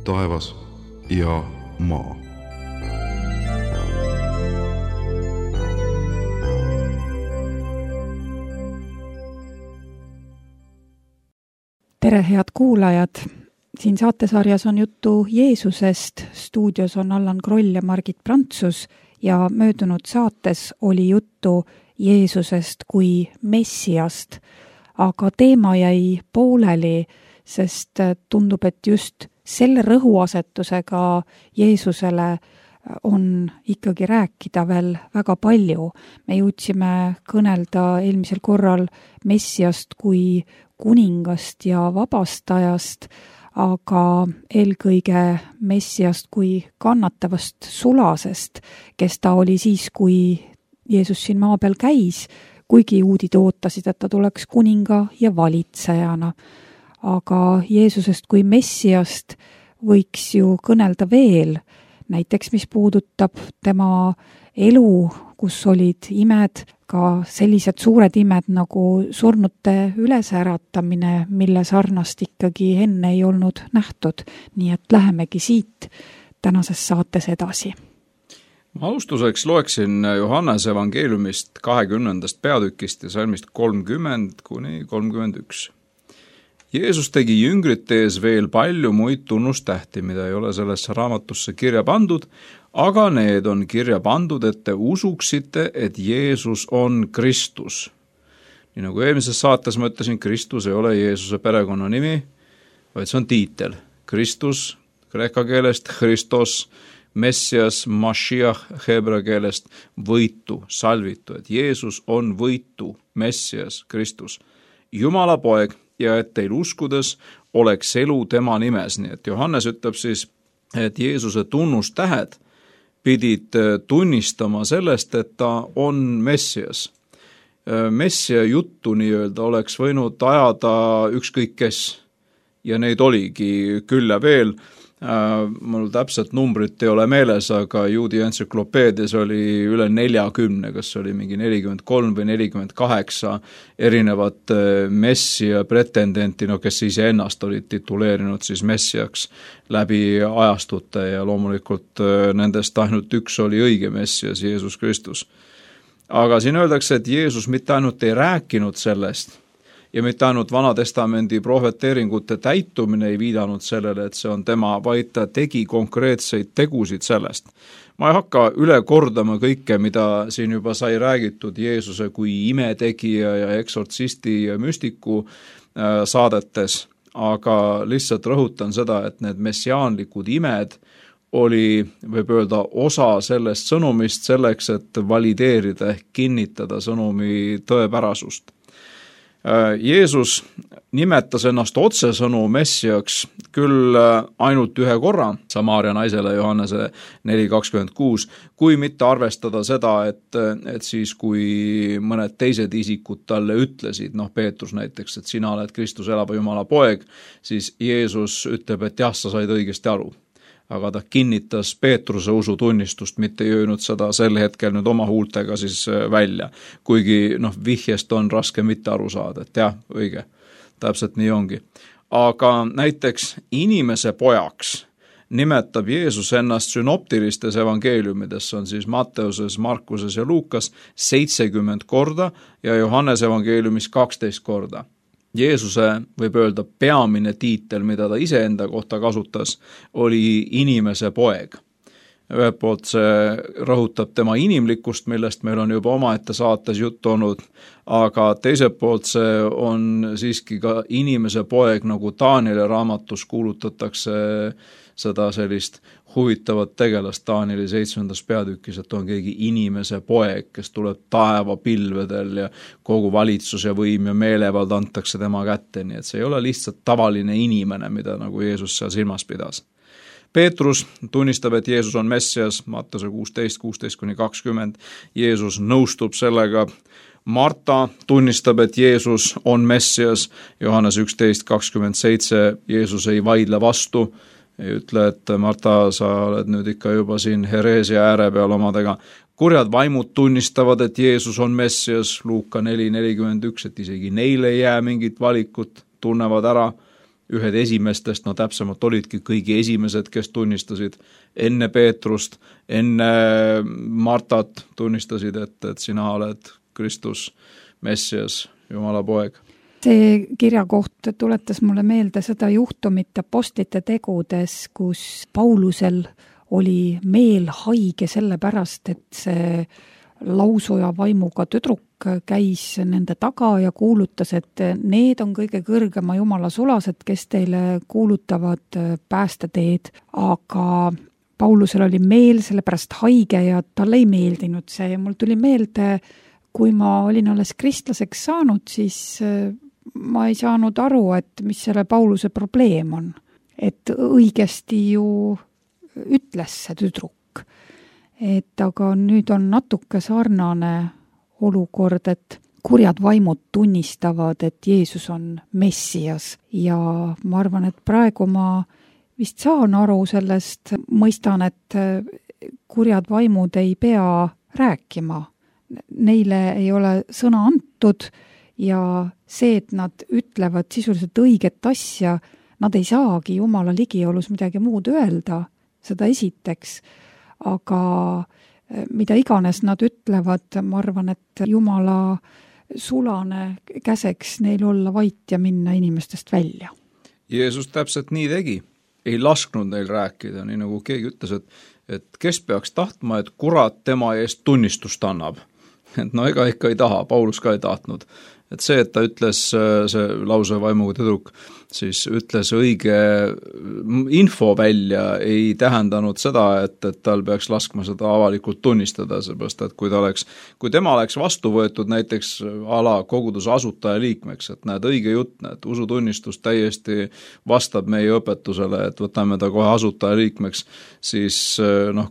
taevas ja maa. Tere, head kuulajad! Siin saatesarjas on juttu Jeesusest. Stuudios on Allan Kroll ja Margit Prantsus ja möödunud saates oli juttu Jeesusest kui Messiast. Aga teema jäi pooleli, sest tundub, et just selle rõhuasetusega Jeesusele on ikkagi rääkida veel väga palju. Me jõudsime kõnelda eelmisel korral Messiast kui kuningast ja vabastajast, aga eelkõige Messiast kui kannatavast sulasest, kes ta oli siis, kui Jeesus siin maa peal käis, kuigi juudid ootasid, et ta tuleks kuninga ja valitsejana. Aga Jeesusest kui Messiast võiks ju kõnelda veel, näiteks mis puudutab tema elu, kus olid imed, ka sellised suured imed nagu surnute ülesäratamine, mille sarnast ikkagi enne ei olnud nähtud. Nii et lähemegi siit tänases saates edasi. Alustuseks loeksin Johannese evangeeliumist 20. peatükist ja salmist 30–31. Jeesus tegi jüngrite ees veel palju muid tunnustähti, mida ei ole sellesse raamatusse kirja pandud, aga need on kirja pandud, et te usuksite, et Jeesus on Kristus. Nii nagu eelmises saates ma ütlesin, Kristus ei ole Jeesuse perekonnanimi, vaid see on tiitel. Kristus, kreeka keelest, Christos, Messias, Mashiach, heebrea keelest, võitu, salvitu, et Jeesus on võitu, Messias, Kristus, Jumala poeg, ja et teil uskudes oleks elu tema nimes. Nii et Johannes ütleb siis, et Jeesuse tunnustähed pidid tunnistama sellest, et ta on Messias. Messia juttu nii-öelda oleks võinud ajada ükskõik kes ja neid oligi küll ja veel. Mul täpselt numbrit ei ole meeles, aga juudi entsüklopeedias oli üle 40, kas oli mingi 43 või 48 erinevat messia pretendenti, kes ise ennast olid tituleerinud siis messiaks läbi ajastute ja loomulikult nendest ainult üks oli õige messias, Jeesus Kristus. Aga siin öeldakse, et Jeesus mitte ainult ei rääkinud sellest, ja mitte ainult Vana-testamendi prohveteeringute täitumine ei viidanud sellele, et see on tema, vaid ta tegi konkreetseid tegusid sellest. Ma ei hakka üle kordama kõike, mida siin juba sai räägitud Jeesuse kui imetegija ja eksortsisti ja müstiku saadetes, aga lihtsalt rõhutan seda, et need messiaanlikud imed oli, võib öelda, osa sellest sõnumist selleks, et valideerida ehk kinnitada sõnumi tõepärasust. Jeesus nimetas ennast otsesõnu messiaks küll ainult ühe korra Samaaria naisele Johannese 4.26, kui mitte arvestada seda, et siis kui mõned teised isikud talle ütlesid, Peetrus näiteks, et sina oled Kristus elava Jumala poeg, siis Jeesus ütleb, et jah, sa said õigesti aru. Aga ta kinnitas Peetruse usutunnistust, mitte ei öelnud seda sel hetkel nüüd oma huultega siis välja. Kuigi vihjest on raske mitte aru saada, et jah, õige, täpselt nii ongi. Aga näiteks inimese pojaks nimetab Jeesus ennast sünoptilistes evangeeliumides, on siis Matteuses, Markuses ja Luukas 70 korda ja Johannes evangeeliumis 12 korda. Jeesuse, võib öelda, peamine tiitel, mida ta iseenda kohta kasutas, oli inimese poeg. Ühelt poolt see rõhutab tema inimlikkust, millest meil on juba omaette saates juttu olnud, aga teiselt poolt see on siiski ka inimese poeg, nagu Taanieli raamatus kuulutatakse seda sellist huvitavat tegelast Taanieli 7. peatükis, et on keegi inimese poeg, kes tuleb taevapilvedel ja kogu valitsus ja võim ja meelevald antakse tema kätte, nii et see ei ole lihtsalt tavaline inimene, mida nagu Jeesus seal silmas pidas. Peetrus tunnistab, et Jeesus on Messias, Matteuse 16:20, Jeesus nõustub sellega. Marta tunnistab, et Jeesus on Messias, Johannes 11:27, Jeesus ei vaidle vastu, ei ütle, et Marta, sa oled nüüd ikka juba siin hereesia ääre peal omadega. Kurjad vaimud tunnistavad, et Jeesus on Messias, Luuka 4:41, et isegi neile ei jää mingit valikut, tunnevad ära ühed esimestest, no täpsemalt olidki kõigi esimesed, kes tunnistasid enne Peetrust, enne Martat tunnistasid, et sina oled Kristus, Messias, Jumala poeg. See kirjakoht tuletas mulle meelde seda juhtumit apostlite tegudes, kus Paulusel oli meel haige sellepärast, et see lausuja vaimuga tüdruk käis nende taga ja kuulutas, et need on kõige kõrgema Jumala sulased, kes teile kuulutavad päästeteed, aga Paulusel oli meel sellepärast haige ja talle ei meeldinud see ja mul tuli meelde, kui ma olin alles kristlaseks saanud, siis ma ei saanud aru, et mis selle Pauluse probleem on. Et õigesti ju ütles see tüdruk. Et aga nüüd on natuke sarnane olukord, et kurjad vaimud tunnistavad, et Jeesus on Messias ja ma arvan, et praegu ma vist saan aru sellest, mõistan, et kurjad vaimud ei pea rääkima. Neile ei ole sõna antud ja see, et nad ütlevad sisuliselt õiget asja, nad ei saagi Jumala ligiolus midagi muud öelda, seda esiteks, aga mida iganes nad ütlevad, ma arvan, et Jumala sulane käseks neil olla vait ja minna inimestest välja. Jeesus täpselt nii tegi, ei lasknud neil rääkida, nii nagu keegi ütles, et kes peaks tahtma, et kurat tema eest tunnistust annab. Et no ega ikka ei taha, Paulus ka ei tahtnud. Et see, et ta ütles, see lause vaimuga tüdruk, siis ütles õige info välja, ei tähendanud seda, et tal peaks laskma seda avalikult tunnistada, seepärast, et kui tema oleks vastu võetud näiteks ala koguduse asutaja liikmeks, et näed õige jutt, näed usutunnistus täiesti vastab meie õpetusele, et võtame ta kohe asutaja liikmeks, siis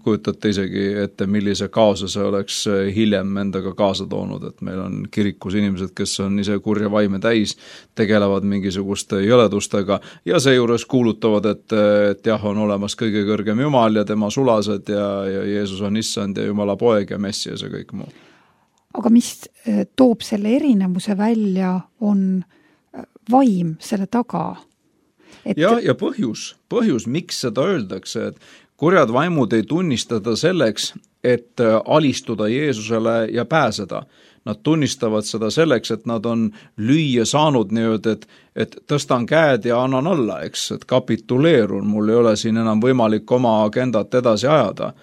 kujutate isegi ette, millise kaose see oleks hiljem endaga kaasa toonud, et meil on kirikus inimesed, kes on ise kurja vaime täis, tegelevad mingisuguste jõledustega ja seejuures kuulutavad, et jah, on olemas kõige kõrgem Jumal ja tema sulased ja Jeesus on issand ja Jumala poeg ja Messias ja kõik muu. Aga mis toob selle erinevuse välja, on vaim selle taga? Ja põhjus, miks seda öeldakse, et kurjad vaimud ei tunnistada selleks, et alistuda Jeesusele ja pääseda. Nad tunnistavad seda selleks, et nad on lüüa saanud nii-öelda, et tõstan käed ja annan alla, eks, et kapituleerun, mul ei ole siin enam võimalik oma agendat edasi ajada.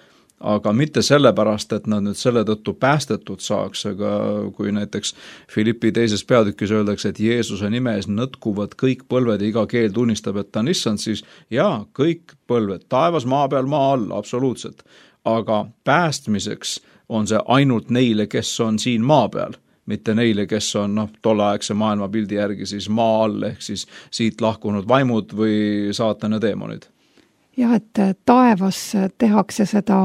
Aga mitte sellepärast, et nad nüüd selle tõttu päästetud saaks, aga kui näiteks Filippi 2. peatükis öeldakse, et Jeesuse nime ees nõtkuvad kõik põlved ja iga keel tunnistab, et ta on issand, siis jaa, kõik põlved, taevas, maa peal, maa all, absoluutselt. Aga päästmiseks on see ainult neile, kes on siin maa peal, mitte neile, kes on tolleaegse maailmapildi järgi siis maa all, ehk siis siit lahkunud vaimud või saatana deemonid. Jah, et taevas tehakse seda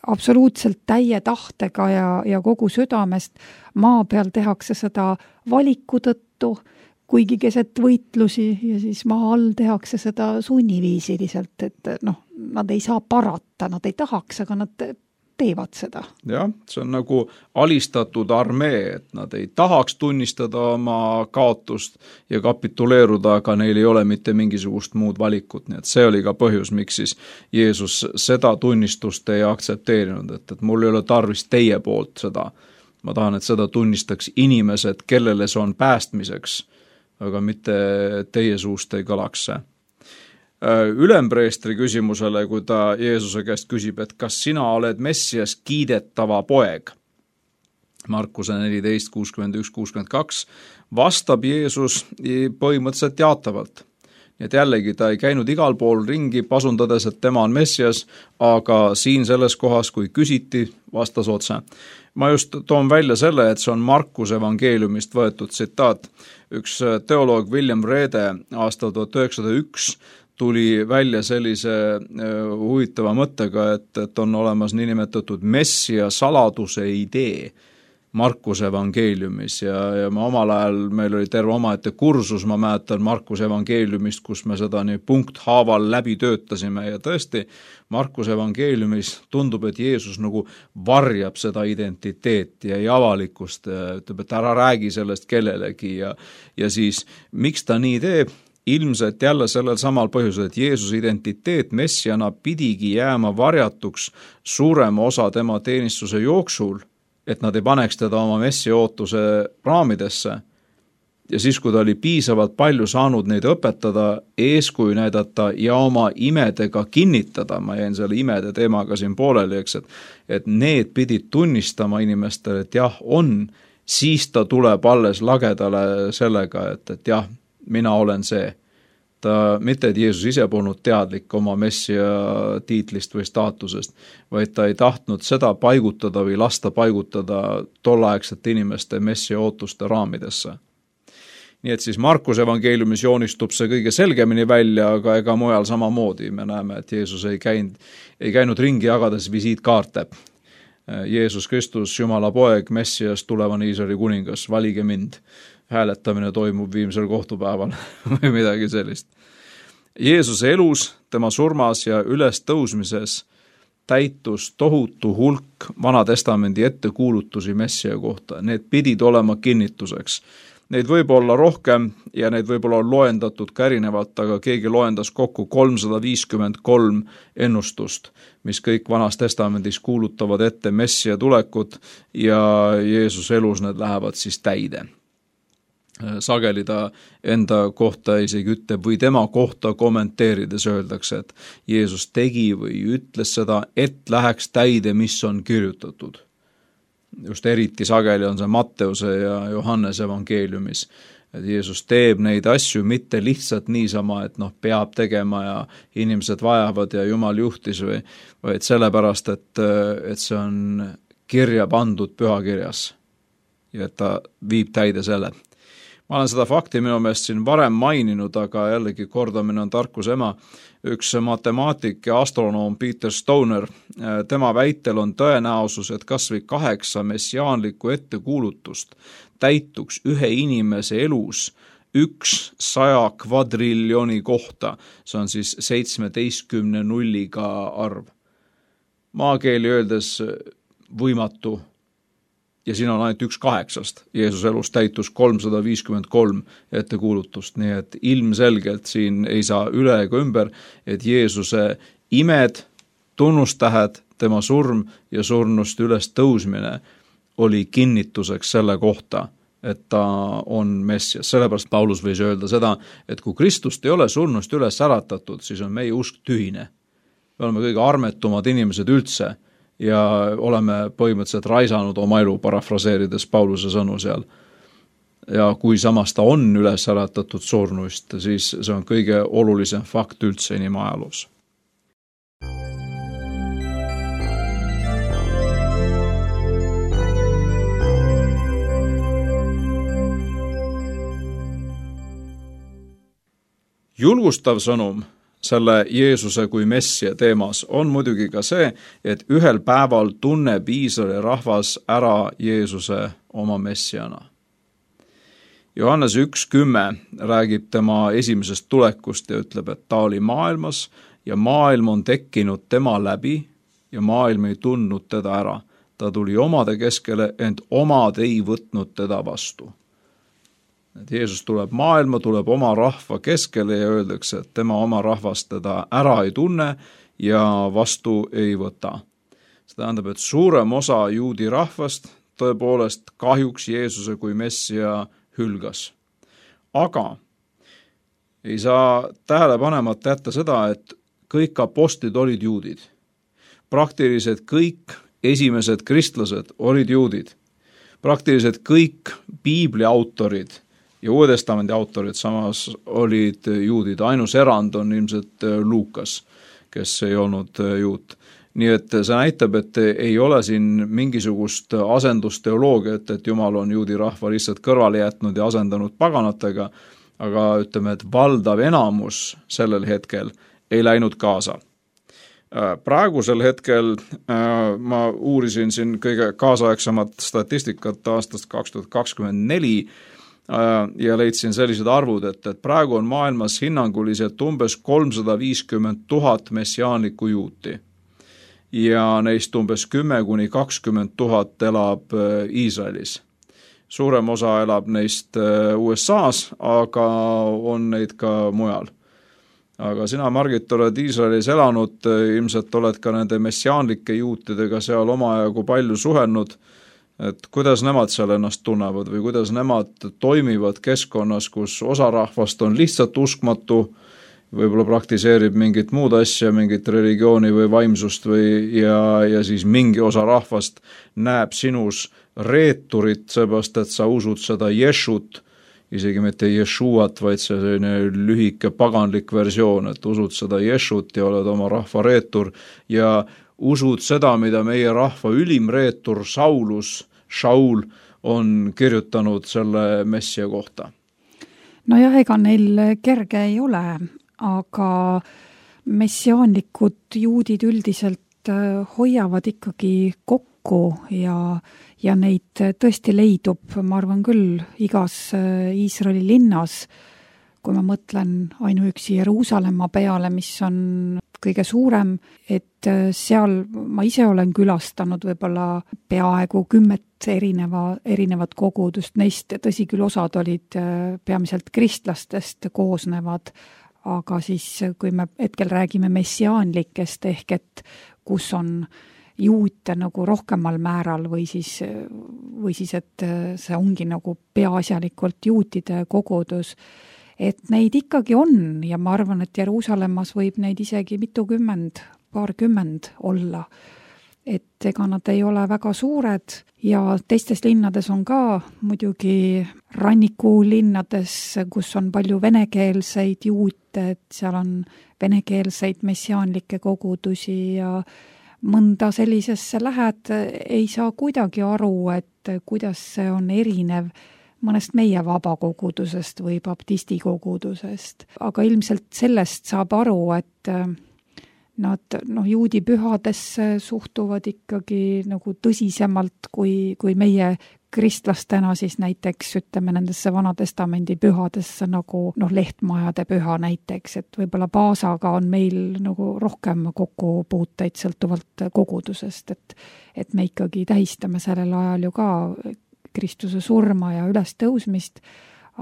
absoluutselt täie tahtega ja kogu südamest, maa peal tehakse seda valiku tõttu, kuigi keset võitlusi ja siis maa all tehakse seda sunniviisiliselt, et nad ei saa parata, nad ei tahaks, aga nad teevad seda. Jah, see on nagu alistatud armee, et nad ei tahaks tunnistada oma kaotust ja kapituleeruda, aga neil ei ole mitte mingisugust muud valikut, nii et see oli ka põhjus, miks siis Jeesus seda tunnistust ei aktsepteerinud, et mul ei ole tarvis teie poolt seda. Ma tahan, et seda tunnistaks inimesed, kellele see on päästmiseks, aga mitte teie suust ei kõlaks see. Ülempreestri küsimusele, kui ta Jeesuse käest küsib, et kas sina oled Messias kiidetava poeg, Markuse 14, 61, 62, vastab Jeesus põhimõtteliselt jaatavalt. Nii et jällegi ta ei käinud igal pool ringi pasundades, et tema on Messias, aga siin selles kohas, kui küsiti, vastas otse. Ma just toon välja selle, et see on Markuse evangeeliumist võetud tsitaat. Üks teoloog William Rede aastal 1901 tuli välja sellise huvitava mõttega, et on olemas niinimetatud messia saladuse idee. Markuse evangeeliumis ja ma omal ajal, meil oli terve omaette kursus, ma mäletan Markuse evangeeliumist, kus me seda nii punkthaaval läbi töötasime ja tõesti, Markuse evangeeliumis tundub, et Jeesus nagu varjab seda identiteeti ja ei avalikust, ütleb, et ära räägi sellest kellelegi ja siis miks ta nii teeb? Ilmselt jälle sellel samal põhjusel, et Jeesuse identiteet messiana pidigi jääma varjatuks suurema osa tema teenistuse jooksul, et nad ei paneks teda oma messia ootuse raamidesse. Ja siis, kui ta oli piisavalt palju saanud neid õpetada, eeskuju näidata ja oma imedega kinnitada, ma jäin selle imede teemaga siin pooleli, eks, et need pidid tunnistama inimestele, et jah, on, siis ta tuleb alles lagedale sellega, et jah, mina olen see. Mitte, et Jeesus ise polnud teadlik oma messia tiitlist või staatusest, vaid ta ei tahtnud seda paigutada või lasta paigutada tolleaegsete inimeste messia ootuste raamidesse. Nii et siis Markuse evangeeliumis joonistub see kõige selgemini välja, aga ega mujal samamoodi. Me näeme, et Jeesus ei käinud ringi jagades visiitkaarte. Jeesus Kristus, Jumala poeg, messias, tulevane Iisraeli kuningas, valige mind. Hääletamine toimub viimsel kohtupäeval või midagi sellist. Jeesuse elus, tema surmas ja ülestõusmises täitus tohutu hulk Vanatestamendi ettekuulutusi messia kohta. Need pidid olema kinnituseks. Neid võib olla rohkem ja neid võib olla loendatud ka erinevalt, aga keegi loendas kokku 353 ennustust, mis kõik Vanas Testamendis kuulutavad ette messia tulekut ja Jeesuse elus need lähevad siis täide. Sageli ta enda kohta isegi ütleb või tema kohta kommenteerides öeldakse, et Jeesus tegi või ütles seda, et läheks täide, mis on kirjutatud. Just eriti sageli on see Matteuse ja Johannese evangeeliumis, et Jeesus teeb neid asju mitte lihtsalt niisama, et peab tegema ja inimesed vajavad ja Jumal juhtis vaid sellepärast, et see on kirja pandud pühakirjas ja et ta viib täide selle. Ma olen seda fakti minu meelest siin varem maininud, aga jällegi kordamine on tarkuse ema. Üks matemaatik ja astronoom Peter Stoner, tema väitel on tõenäosus, et kas või 8 messiaanlikku ettekuulutust täituks ühe inimese elus 100 kvadriljoni kohta. See on siis 17 nulliga arv. Maakeeli öeldes võimatu. Ja siin on ainult 1/8. Jeesuse elus täitus 353 ettekuulutust, nii et ilmselgelt siin ei saa üle ega ümber, et Jeesuse imed, tunnustähed, tema surm ja surnust üles tõusmine oli kinnituseks selle kohta, et ta on messias. Sellepärast Paulus võis öelda seda, et kui Kristust ei ole surnust üles äratatud, siis on meie usk tühine. Me oleme kõige armetumad inimesed üldse, ja oleme põhimõtteliselt raisanud oma elu, parafraseerides Pauluse sõnu seal. Ja kui samas ta on üles äratatud surnuist, siis see on kõige olulisem fakt üldse inimajaloos. Julgustav sõnum selle Jeesuse kui messia teemas on muidugi ka see, et ühel päeval tunneb Iisraeli rahvas ära Jeesuse oma messiana. Johannes 1:10 räägib tema esimesest tulekust ja ütleb, et ta oli maailmas ja maailm on tekkinud tema läbi ja maailm ei tundnud teda ära. Ta tuli omade keskele, ent omad ei võtnud teda vastu. Et Jeesus tuleb maailma, tuleb oma rahva keskele ja öeldakse, et tema oma rahvast teda ära ei tunne ja vastu ei võta. See tähendab, et suurem osa juudi rahvast tõepoolest kahjuks Jeesuse kui messia hülgas. Aga ei saa tähele panemata jätta seda, et kõik apostlid olid juudid. Praktiliselt kõik esimesed kristlased olid juudid. Praktiliselt kõik piibli autorid ja Uue Testamendi autorid samas olid juudid. Ainus erand on ilmselt Luukas, kes ei olnud juut. Nii et see näitab, et ei ole siin mingisugust asendusteoloogiat, et Jumal on juudi rahva lihtsalt kõrvale jätnud ja asendanud paganatega, aga ütleme, et valdav enamus sellel hetkel ei läinud kaasa. Praegusel hetkel ma uurisin siin kõige kaasaegsemat statistikat aastast 2024 ja leidsin sellised arvud, et praegu on maailmas hinnanguliselt umbes 350 000 messiaanlikku juuti ja neist umbes 10-20 000 elab Iisraelis. Suurem osa elab neist USA-s, aga on neid ka mujal. Aga sina, Margit, oled Iisraelis elanud, ilmselt oled ka nende messiaanlike juutidega seal omajagu palju suhelnud, et kuidas nemad seal ennast tunnevad või kuidas nemad toimivad keskkonnas, kus osa rahvast on lihtsalt uskmatu, võib-olla praktiseerib mingit muud asja, mingit religiooni või vaimsust ja siis mingi osa rahvast näeb sinus reeturit, seepärast, et sa usud seda Ješut, isegi mitte Jeshuat, vaid see selline lühike paganlik versioon, et usud seda Ješut ja oled oma rahva reetur ja usud seda, mida meie rahva ülim reetur Shaul on kirjutanud selle messia kohta. Nojah, ega neil kerge ei ole, aga messiaanlikud juudid üldiselt hoiavad ikkagi kokku ja neid tõesti leidub, ma arvan küll, igas Iisraeli linnas, kui ma mõtlen ainuüksi Jeruusalemma peale, mis on kõige suurem, et seal ma ise olen külastanud võib-olla peaaegu 10 erinevat kogudust, neist tõsi küll osad olid peamiselt kristlastest koosnevad, aga siis kui me hetkel räägime messiaanlikest ehk et kus on juute nagu rohkemal määral või siis, et see ongi nagu peaasjalikult juutide kogudus, et neid ikkagi on ja ma arvan, et Jeruusalemmas võib neid isegi paarkümmend olla. Et ega nad ei ole väga suured ja teistes linnades on ka muidugi rannikulinnades, kus on palju venekeelseid juute, et seal on venekeelseid messiaanlikke kogudusi ja mõnda sellisesse lähed, ei saa kuidagi aru, et kuidas see on erinev mõnest meie vabakogudusest või baptisti kogudusest. Aga ilmselt sellest saab aru, et nad juudi pühadesse suhtuvad ikkagi nagu tõsisemalt kui meie kristlastena siis näiteks ütleme nendesse Vanatestamendi pühadesse nagu lehtmajade püha näiteks, et võib-olla Paasaga on meil nagu rohkem kokkupuuteid sõltuvalt kogudusest, et me ikkagi tähistame sellel ajal ju ka Kristuse surma ja ülestõusmist,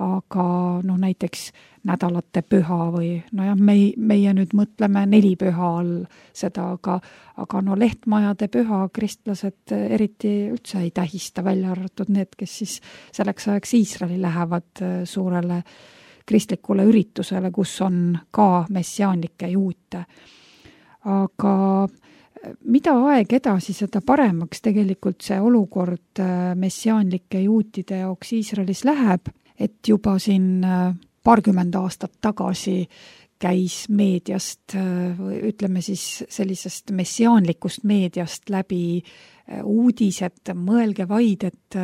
aga näiteks nädalate püha või meie nüüd mõtleme 4 püha all seda, aga lehtmajade püha kristlased eriti üldse ei tähista, välja arvatud need, kes siis selleks ajaks Iisraeli lähevad suurele kristlikule üritusele, kus on ka messiaanlikke juute. Aga mida aeg edasi, seda paremaks tegelikult see olukord messiaanlike juutide jaoks Iisraelis läheb, et juba siin paarkümmend aastat tagasi käis meediast, ütleme siis sellisest messiaanlikust meediast läbi uudised, mõelge vaid, et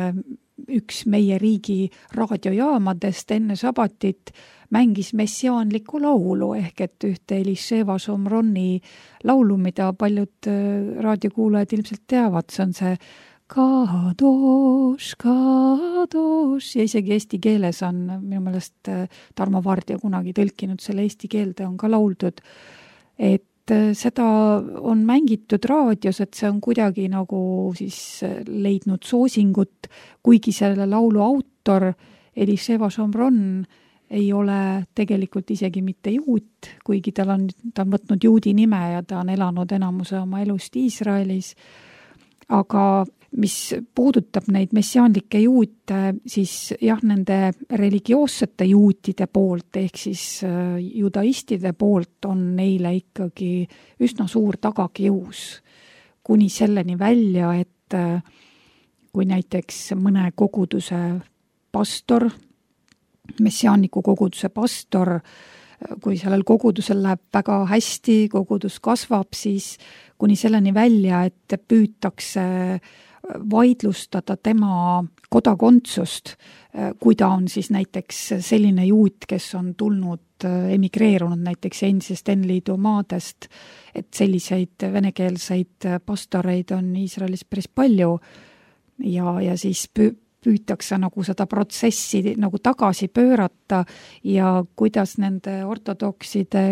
üks meie riigi raadiojaamadest enne sabatit mängis messiaanlikku laulu, ehk et ühte Elisheva Shomroni laulu, mida paljud raadiokuulajad ilmselt teavad, see on see Kadosh, Kadosh ja isegi eesti keeles on minu meelest Tarmo Vardja kunagi tõlkinud selle eesti keelde, on ka lauldud, et seda on mängitud raadios, et see on kuidagi nagu siis leidnud soosingut, kuigi selle laulu autor Elisheva Shomron ei ole tegelikult isegi mitte juut, kuigi ta on võtnud juudi nime ja ta on elanud enamuse oma elust Iisraelis, aga mis puudutab neid messiaanlikke juute, siis jah, nende religioossete juutide poolt ehk siis judaistide poolt on neile ikkagi üsna suur tagakius, kuni selleni välja, et kui näiteks mõne koguduse pastor, messiaanliku koguduse pastor, kui sellel kogudusel läheb väga hästi, kogudus kasvab, siis kuni selleni välja, et püütakse vaidlustada tema kodakondsust, kui ta on siis näiteks selline juut, kes on tulnud, emigreerunud näiteks endisest N-liidu maadest, et selliseid venekeelseid pastoreid on Iisraelis päris palju ja siis püütakse nagu seda protsessi nagu tagasi pöörata ja kuidas nende ortodokside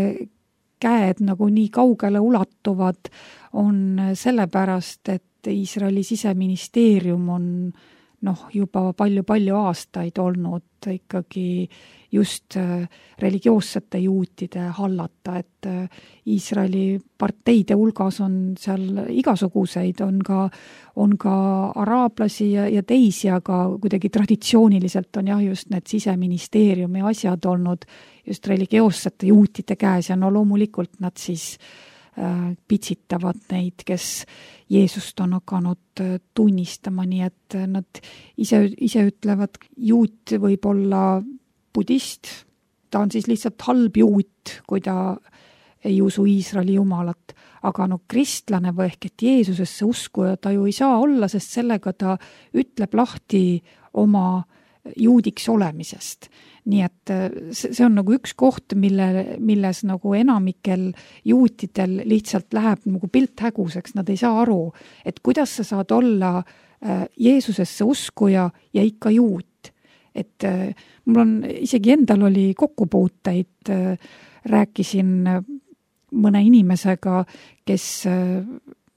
käed nagu nii kaugele ulatuvad, on sellepärast, et Iisraeli siseministeerium on juba palju aastaid olnud ikkagi just religioossete juutide hallata, et Iisraeli parteide hulgas on seal igasuguseid, on ka araablasi ja teisi, aga kuidagi traditsiooniliselt on just need siseministeeriumi asjad olnud just religioossete juutide käes ja loomulikult nad siis pitsitavad neid, kes Jeesust on hakanud tunnistama, nii et nad ise ütlevad, juut võib olla budist, ta on siis lihtsalt halb juut, kui ta ei usu Iisraeli jumalat, aga kristlane või ehk et Jeesusesse uskuja ta ju ei saa olla, sest sellega ta ütleb lahti oma juudiks olemisest. Nii et see on nagu üks koht, milles nagu enamikel juutidel lihtsalt läheb nagu pilt häguseks, nad ei saa aru, et kuidas sa saad olla Jeesusesse uskuja ja ikka juut. Et mul on isegi endal oli kokkupuuteid, rääkisin mõne inimesega, kes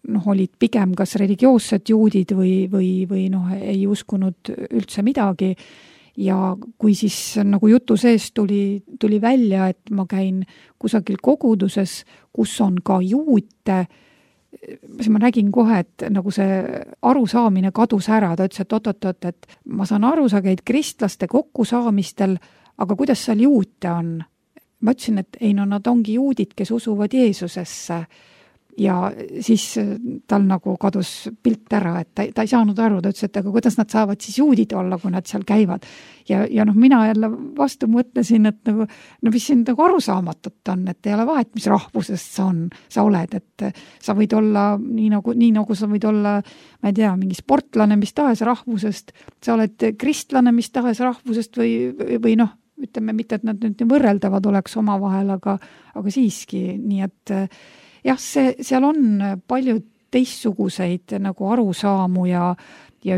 olid pigem kas religioossed juudid või ei uskunud üldse midagi. Ja kui siis nagu jutu sees tuli välja, et ma käin kusagil koguduses, kus on ka juute, siis ma nägin kohe, et nagu see arusaamine kadus ära. Ta ütles, et oot, et ma saan aru, sa käid kristlaste kokkusaamistel, aga kuidas seal juute on? Ma ütlesin, et ei, nad ongi juudid, kes usuvad Jeesusesse. Ja siis tal nagu kadus pilt ära, et ta ei saanud aru, ta ütles, et aga kuidas nad saavad siis juudid olla, kui nad seal käivad. Ja mina jälle vastu mõtlesin, et mis siin nagu arusaamatut on, et ei ole vahet, mis rahvusest sa oled, et sa võid olla nii nagu sa võid olla, ma ei tea, mingi sportlane mis tahes rahvusest, sa oled kristlane mis tahes rahvusest või ütleme mitte, et nad nüüd võrreldavad oleks omavahel, aga siiski, nii et jah, seal on palju teistsuguseid nagu arusaamu ja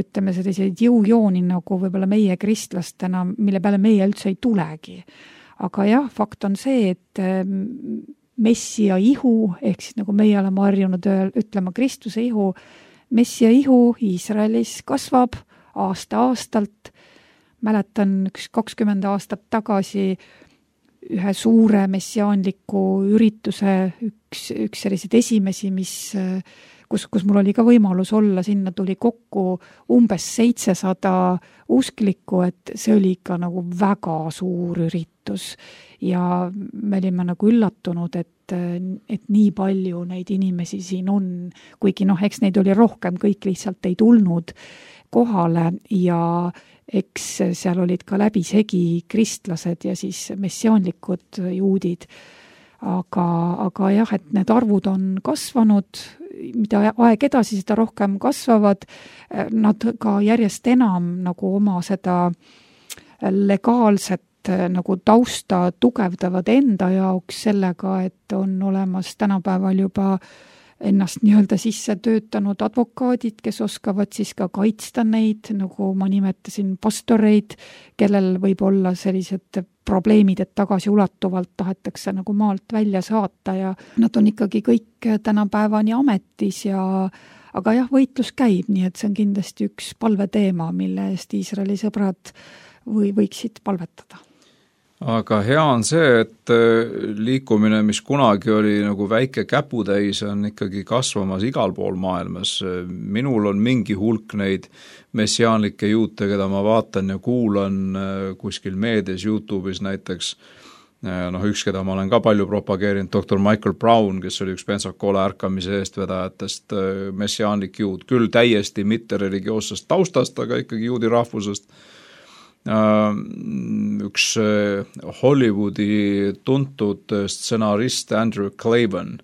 ütleme selliseid jõujooni nagu võib-olla meie kristlastena, mille peale meie üldse ei tulegi. Aga jah, fakt on see, et messia ihu, ehk siis nagu meie oleme harjunud ütlema Kristuse ihu, messia ihu Iisraelis kasvab aasta-aastalt. Mäletan 20 aastat tagasi ühe suure messiaanliku ürituse, üks selliseid esimesi, kus mul oli ka võimalus olla, sinna tuli kokku umbes 700 usklikku, et see oli ikka nagu väga suur üritus ja me olime nagu üllatunud, et nii palju neid inimesi siin on, kuigi eks neid oli rohkem, kõik lihtsalt ei tulnud kohale ja eks seal olid ka läbisegi kristlased ja siis messiaanlikud juudid. Aga jah, et need arvud on kasvanud, mida aeg edasi, seda rohkem kasvavad. Nad ka järjest enam nagu oma seda legaalset nagu tausta tugevdavad enda jaoks sellega, et on olemas tänapäeval juba ennast nii-öelda sisse töötanud advokaadid, kes oskavad siis ka kaitsta neid, nagu ma nimetasin, pastoreid, kellel võib olla sellised probleemid, et tagasiulatuvalt tahetakse nagu maalt välja saata ja nad on ikkagi kõik tänapäevani ametis aga jah, võitlus käib, nii et see on kindlasti üks palveteema, mille eest Iisraeli sõbrad võiksid palvetada. Aga hea on see, et liikumine, mis kunagi oli nagu väike käputäis, on ikkagi kasvamas igal pool maailmas. Minul on mingi hulk neid messiaanlikke juute, keda ma vaatan ja kuulan kuskil meedias, YouTube'is näiteks. Üks, keda ma olen ka palju propageerinud, Dr. Michael Brown, kes oli üks Pensacola ärkamise eestvedajatest, messiaanlik juut, küll täiesti mitte religioossest taustast, aga ikkagi juudi rahvusest. Üks Hollywoodi tuntud stsenarist Andrew Clavin,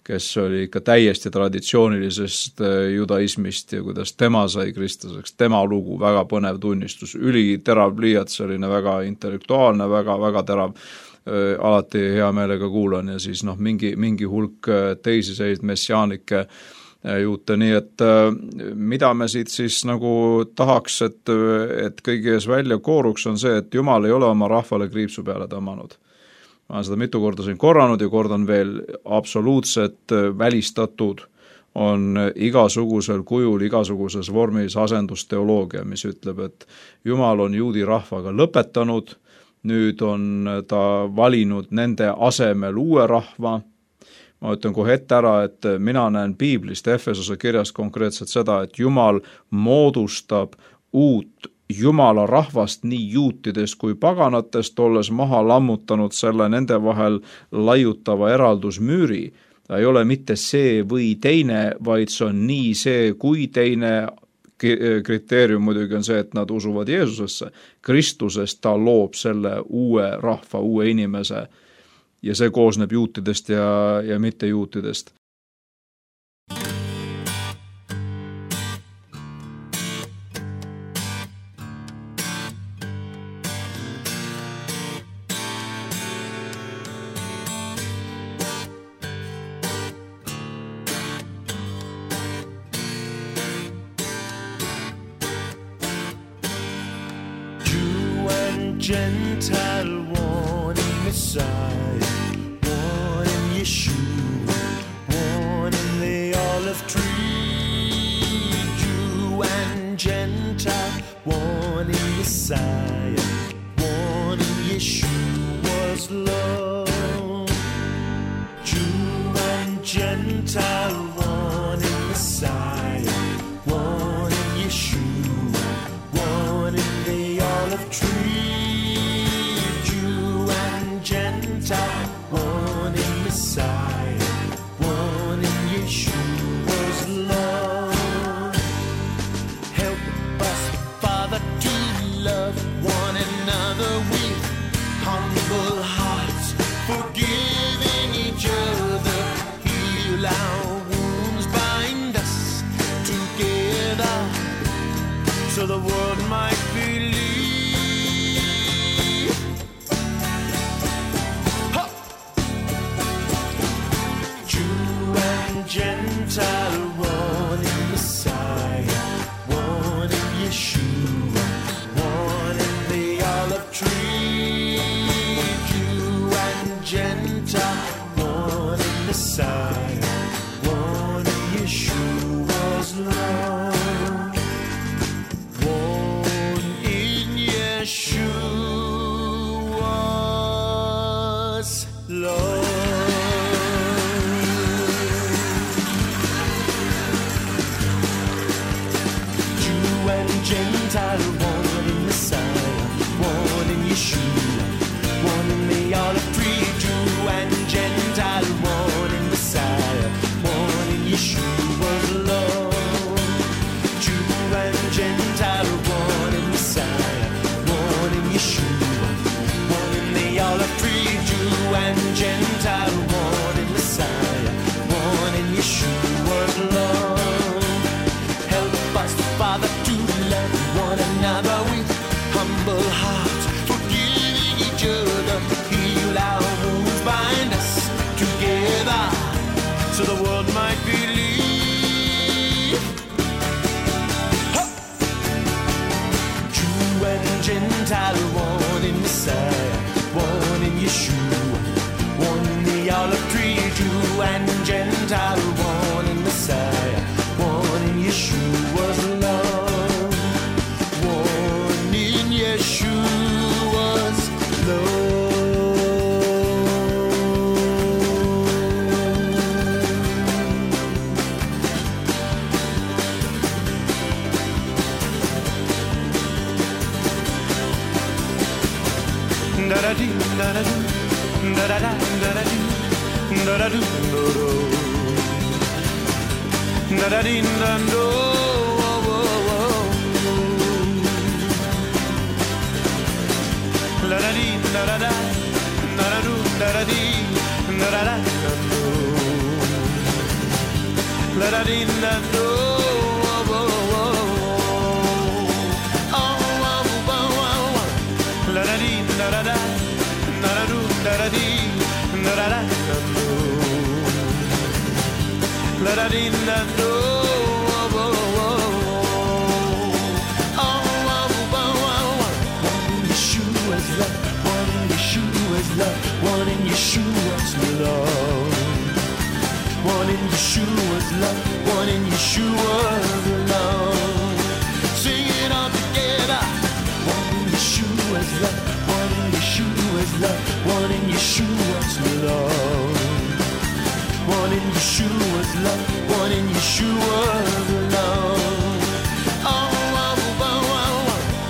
kes oli ikka täiesti traditsioonilisest judaismist ja kuidas tema sai kristlaseks, tema lugu, väga põnev tunnistus, üliterav pliiat, selline väga intellektuaalne, väga terav, alati hea meelega kuulan ja siis mingi hulk teisi selliseid messiaanikke juute, nii et mida me siit siis nagu tahaks, et kõigi ees välja kooruks on see, et Jumal ei ole oma rahvale kriipsu peale tõmmanud. Ma olen seda mitu korda siin korranud ja kordan veel, absoluutselt välistatud on igasugusel kujul, igasuguses vormis asendusteoloogia, mis ütleb, et Jumal on juudi rahvaga lõpetanud, nüüd on ta valinud nende asemel uue rahva. Ma ütlen kohe ette ära, et mina näen piiblist Efesose kirjast konkreetselt seda, et Jumal moodustab uut Jumala rahvast nii juutidest kui paganatest, olles maha lammutanud selle nende vahel laiutava eraldusmüüri. Ta ei ole mitte see või teine, vaid see on nii see kui teine. Kriteerium muidugi on see, et nad usuvad Jeesusesse. Kristusest ta loob selle uue rahva, uue inimese ja see koosneb juutidest ja mitte juutidest. Gentile one in Messiah, one in Yeshua, one in the olive tree. Jew and Gentile, one in Messiah, one in Yeshua's love. Jew and Gentile, one in Messiah, one in Yeshua, one in the olive tree. One in Messiah, one in Yeshua's love. Help us, Father, to love one another with humble hearts, forgiving each other, heal our wounds, bind us together, so the world might believe. Gentile, one in Messiah, one in Yeshua, one in the olive tree. Jew and Gentile, one in Messiah, one in Yeshua's love. One in Yeshua's love. Gentile, one in Messiah, one in Yeshua, one in the olive tree. Jew and Gentile, one in Messiah, one in Yeshua's love. Jew and Gentile, one in Messiah, one in Yeshua, one in the olive tree. Jew and Gentile, one in Messiah, one in Yeshua's love. Help us, Father, one another with humble hearts, forgiving each other, heal our wounds, bind us together, so the world might believe. Jew and Gentile, one in Messiah, one in Yeshua, one in the olive tree. Jew and Gentile, one in Messiah, one in Yeshua's love. Yeshua's la-da-dee-na-do. La-da-dee-na-da-da, na-da-do, la-da-dee, na-da-da-na-do. La-da-dee-na-do. One in Yeshua's love. One in Yeshua's love. One in Yeshua's love. Sing it all together. One in Yeshua's love. One in Yeshua's love. One in Yeshua's love. One in Yeshua's love. One in Yeshua's love. Oh, oh, oh, oh.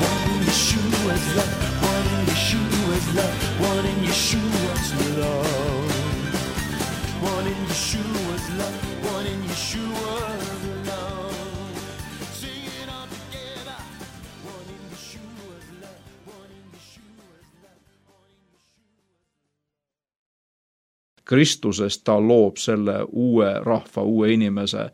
One in Yeshua's love. One in Yeshua's love. One in Yeshua's love. One in Yeshua's love. One in Yeshua's love. Sing it all together. One in Yeshua's love. One in Yeshua's love. Kristusest ta loob selle uue rahva, uue inimese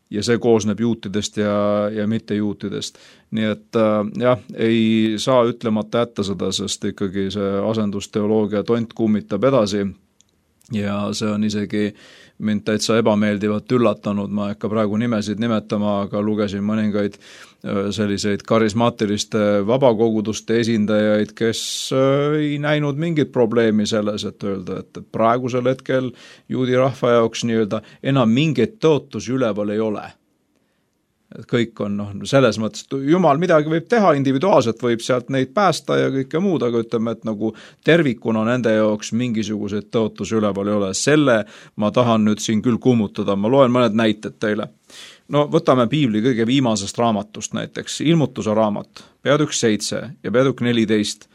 ja see koosneb juutidest ja mitte juutidest. Nii et jah, ei saa ütlemata jätta seda, sest ikkagi see asendusteoloogia tont kummitab edasi ja see on isegi mind täitsa ebameeldivalt üllatanud, ma ei hakka praegu nimesid nimetama, aga lugesin mõningaid selliseid karismaatiliste vabakoguduste esindajaid, kes ei näinud mingit probleemi selles, et öelda, et praegusel hetkel juudi rahva jaoks nii-öelda enam mingit tõotusi üleval ei ole. Et kõik on selles mõttes, et Jumal midagi võib teha, individuaalselt võib sealt neid päästa ja kõike muud, aga ütleme, et nagu tervikuna nende jaoks mingisuguseid tõotusi üleval ei ole. Selle ma tahan nüüd siin küll kummutada, ma loen mõned näited teile. No võtame piibli kõige viimasest raamatust näiteks, ilmutuse raamat, peatükk 7 ja peatükk 14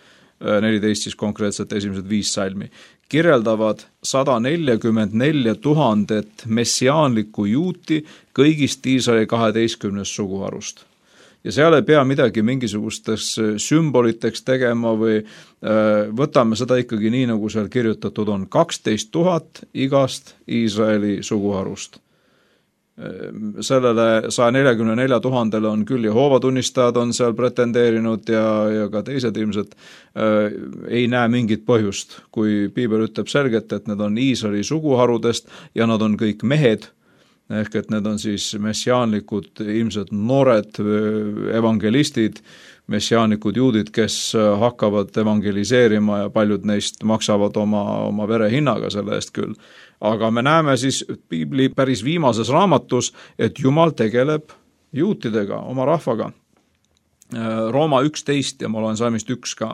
siis konkreetselt esimesed 5 salmi, kirjeldavad 144 000 messiaanlikku juuti kõigist Iisraeli 12 suguharust. Ja seal ei pea midagi mingisugustes sümboliteks tegema või võtame seda ikkagi nii, nagu seal kirjutatud on, 12 000 igast Iisraeli suguharust. Sellele 144 000 on küll Jehova tunnistajad on seal pretendeerinud ja ka teised ilmselt ei näe mingit põhjust, kui piibel ütleb selgelt, et need on Iisraeli suguharudest ja nad on kõik mehed, ehk et need on siis messiaanlikud, ilmselt noored evangelistid, messiaanlikud juudid, kes hakkavad evangeliseerima ja paljud neist maksavad oma verehinnaga selle eest küll. Aga me näeme siis piibli päris viimases raamatus, et Jumal tegeleb juutidega, oma rahvaga. Rooma 11 ja ma loen salmist 1 ka.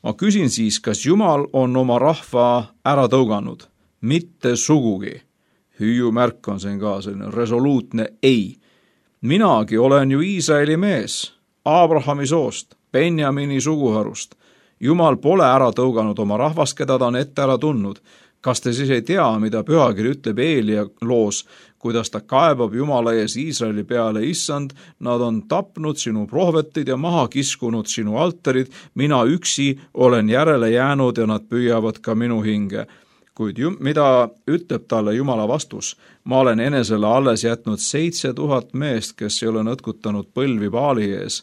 Ma küsin siis, kas Jumal on oma rahva ära tõuganud? Mitte sugugi. Hüüumärk on siin ka selline resoluutne ei. Minagi olen ju Iisraeli mees, Abrahami soost, Benjamini suguharust. Jumal pole ära tõuganud oma rahvast, keda ta on ette ära tundnud. Kas te siis ei tea, mida pühakiri ütleb Eelia loos, kuidas ta kaebab Jumala ees Iisraeli peale, issand, nad on tapnud sinu prohvetid ja maha kiskunud sinu altarid, mina üksi olen järele jäänud ja nad püüavad ka minu hinge. Kuid mida ütleb talle Jumala vastus? Ma olen enesele alles jätnud 7000 meest, kes ei ole nõtkutanud põlvi Baali ees.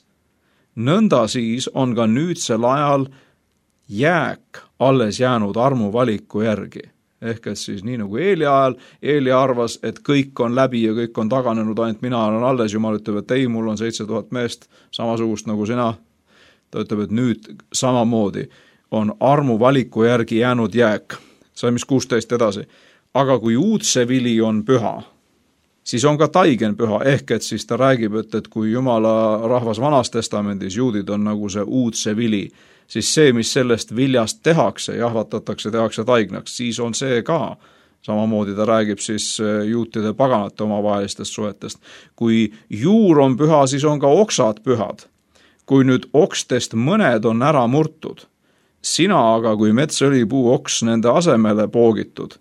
Nõnda siis on ka nüüdsel ajal jääk alles jäänud armuvaliku järgi. Ehk et siis nii nagu Eelia ajal, Eelia arvas, et kõik on läbi ja kõik on taganenud, ainult mina olen alles, Jumal ütleb, et ei, mul on 7000 meest, samasugust nagu sina. Ta ütleb, et nüüd samamoodi on armuvaliku järgi jäänud jääk. Salmis 16 edasi. Aga kui uudse vili on püha, siis on ka taigen püha, ehk et siis ta räägib, et kui Jumala rahvas Vanas testamendis, juudid on nagu see uudse vili, siis see, mis sellest viljast tehakse, jahvatatakse, tehakse taignaks, siis on see ka. Samamoodi ta räägib siis juutide paganate omavahelistest suhetest. Kui juur on püha, siis on ka oksad pühad. Kui nüüd okstest mõned on ära murtud, sina aga kui metsõlipuu oks nende asemele poogitud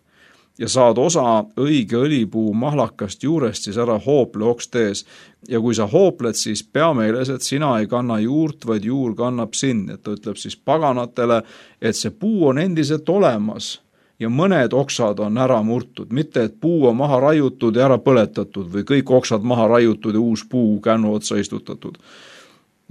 ja saad osa õige õlipuu mahlakast juurest, siis ära hoople okstees. Ja kui sa hoopled, siis pea meeles, et sina ei kanna juurt, vaid juur kannab sind. Et ta ütleb siis paganatele, et see puu on endiselt olemas ja mõned oksad on ära murtud, mitte et puu on maha raiutud ja ära põletatud või kõik oksad maha raiutud ja uus puu kännu otsa istutatud.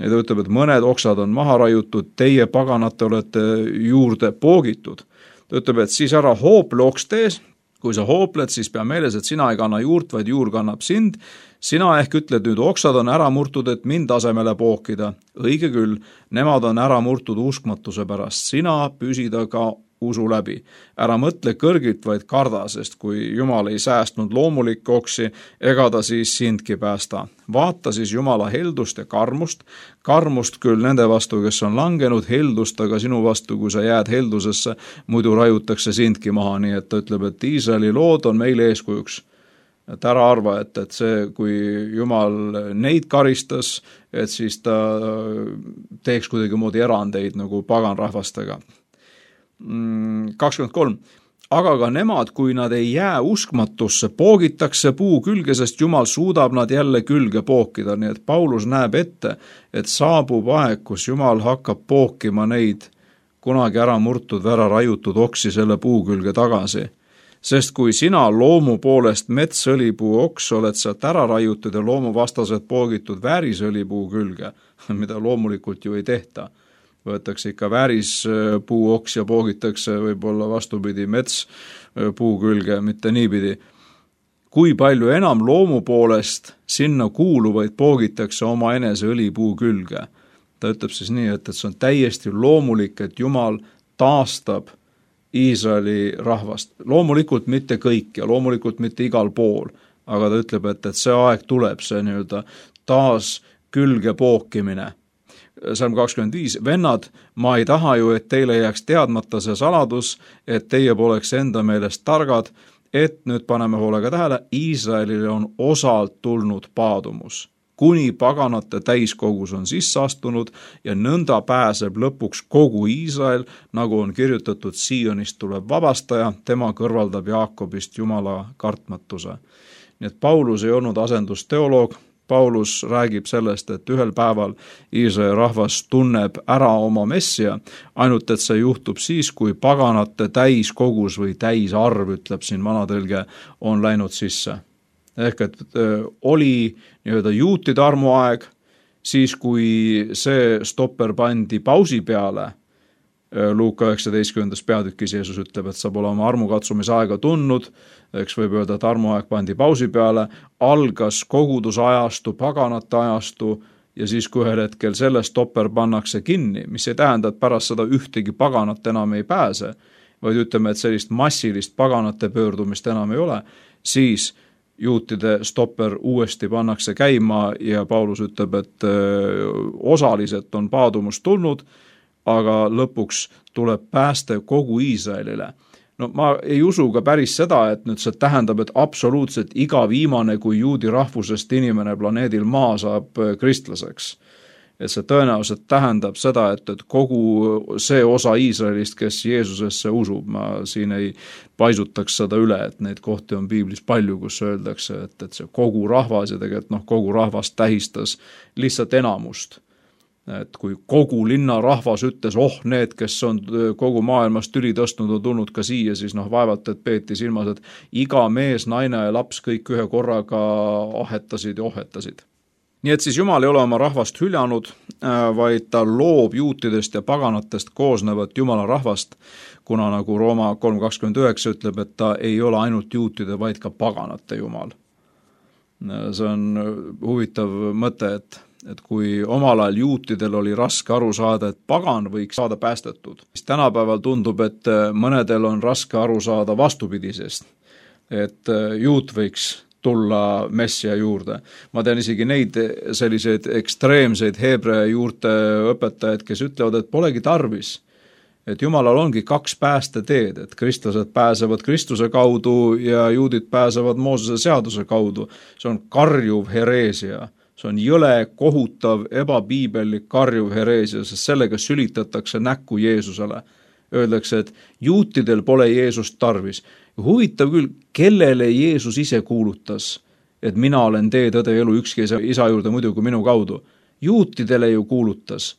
Ja ta ütleb, et mõned oksad on maha raiutud, teie paganate olete juurde poogitud. Ta ütleb, et siis ära hoople okstees, kui sa hoopled, siis pea meeles, et sina ei kanna juurt, vaid juur kannab sind. Sina ehk ütled nüüd, oksad on ära murtud, et mind asemele pookida. Õige küll, nemad on ära murtud uskmatuse pärast. Sina püsida ka usu läbi. Ära mõtle kõrgilt, vaid karda, sest kui Jumal ei säästnud loomulikke oksi, ega ta siis sindki päästa. Vaata siis Jumala heldust ja karmust küll nende vastu, kes on langenud, heldust aga sinu vastu, kui sa jääd heldusesse, muidu raiutakse sindki maha, nii et ta ütleb, et Iisraeli lood on meile eeskujuks. Et ära arva, et see, kui Jumal neid karistas, et siis ta teeks kuidagi moodi erandeid nagu paganrahvastega. 23. Aga ka nemad, kui nad ei jää uskmatusse, poogitakse puu külge, sest Jumal suudab nad jälle külge pookida. Nii et Paulus näeb ette, et saabub aeg, kus Jumal hakkab pookima neid kunagi ära murtud, ära raiutud oksi selle puu külge tagasi. Sest kui sina loomu poolest metsõlipuu oks oled sealt ära raiutud ja loomu vastaselt poogitud väärisõlipuu külge, mida loomulikult ju ei tehta, võetakse ikka väärispuu oks ja poogitakse võib-olla vastupidi metspuu külge, mitte niipidi. Kui palju enam loomu poolest sinna kuuluvaid poogitakse oma enese õlipuu külge. Ta ütleb siis nii, et see on täiesti loomulik, et Jumal taastab Iisraeli rahvast. Loomulikult mitte kõik ja loomulikult mitte igal pool, aga ta ütleb, et see aeg tuleb, see nii-öelda taas külge pookimine. Salm 25, vennad, ma ei taha ju, et teile jääks teadmata see saladus, et teie poleks enda meelest targad, et nüüd paneme hoolega tähele, Iisraelile on osalt tulnud paadumus. Kuni paganate täiskogus on sisse astunud ja nõnda pääseb lõpuks kogu Iisrael, nagu on kirjutatud, Sionist tuleb vabastaja, tema kõrvaldab Jaakobist Jumala kartmatuse. Nii et Paulus ei olnud asendusteoloog, Paulus räägib sellest, et ühel päeval Iisraeli rahvas tunneb ära oma messia, ainult et see juhtub siis, kui paganate täiskogus või täisarv, ütleb siin vanatõlge, on läinud sisse. Ehk et oli nii-öelda juutide armuaeg, siis kui see stopper pandi pausi peale, Luuka 19. peatükis Jeesus ütleb, et saab olema armukatsumise aega tundnud, eks võib öelda, et armuaeg pandi pausi peale, algas kogudusajastu, paganate ajastu ja siis kui ühel hetkel selle stopper pannakse kinni, mis ei tähenda, et pärast seda ühtegi paganat enam ei pääse, vaid ütleme, et sellist massilist paganate pöördumist enam ei ole, siis juutide stopper uuesti pannakse käima ja Paulus ütleb, et osaliselt on paadumus tulnud, aga lõpuks tuleb pääste kogu Iisraelile. No ma ei usu ka päris seda, et nüüd see tähendab, et absoluutselt iga viimane kui juudi rahvusest inimene planeedil maa saab kristlaseks. Et see tõenäoliselt tähendab seda, et kogu see osa Iisraelist, kes Jeesusesse usub, ma siin ei paisutaks seda üle, et neid kohti on piiblis palju, kus öeldakse, et see kogu rahvas ja tegelikult kogu rahvas tähistas lihtsalt enamust. Et kui kogu linna rahvas ütles, need, kes on kogu maailmast tüli tõstnud, on tulnud ka siia, siis vaevalt, et peeti silmas, et iga mees, naine ja laps kõik ühe korraga ahetasid ja ohetasid. Nii et siis Jumal ei ole oma rahvast hüljanud, vaid ta loob juutidest ja paganatest koosnevat Jumala rahvast, kuna nagu Rooma 3.29 ütleb, et ta ei ole ainult juutide, vaid ka paganate Jumal. See on huvitav mõte, et kui omal ajal juutidel oli raske aru saada, et pagan võiks saada päästetud, siis tänapäeval tundub, et mõnedel on raske aru saada vastupidisest, et juut võiks tulla messia juurde. Ma tean isegi neid selliseid ekstreemseid heebrea juurte õpetajaid, kes ütlevad, et polegi tarvis, et Jumalal ongi kaks päästeteed, et kristlased pääsevad Kristuse kaudu ja juudid pääsevad Moosese seaduse kaudu. See on karjuv hereesia. See on jõle, kohutav, ebapiibellik, karjuv hereesia, sest sellega sülitatakse näkku Jeesusele. Öeldakse, et juutidel pole Jeesust tarvis. Huvitav küll, kellele Jeesus ise kuulutas, et mina olen tee, tõde, elu, ükski isa juurde muidu kui minu kaudu. Juutidele ju kuulutas.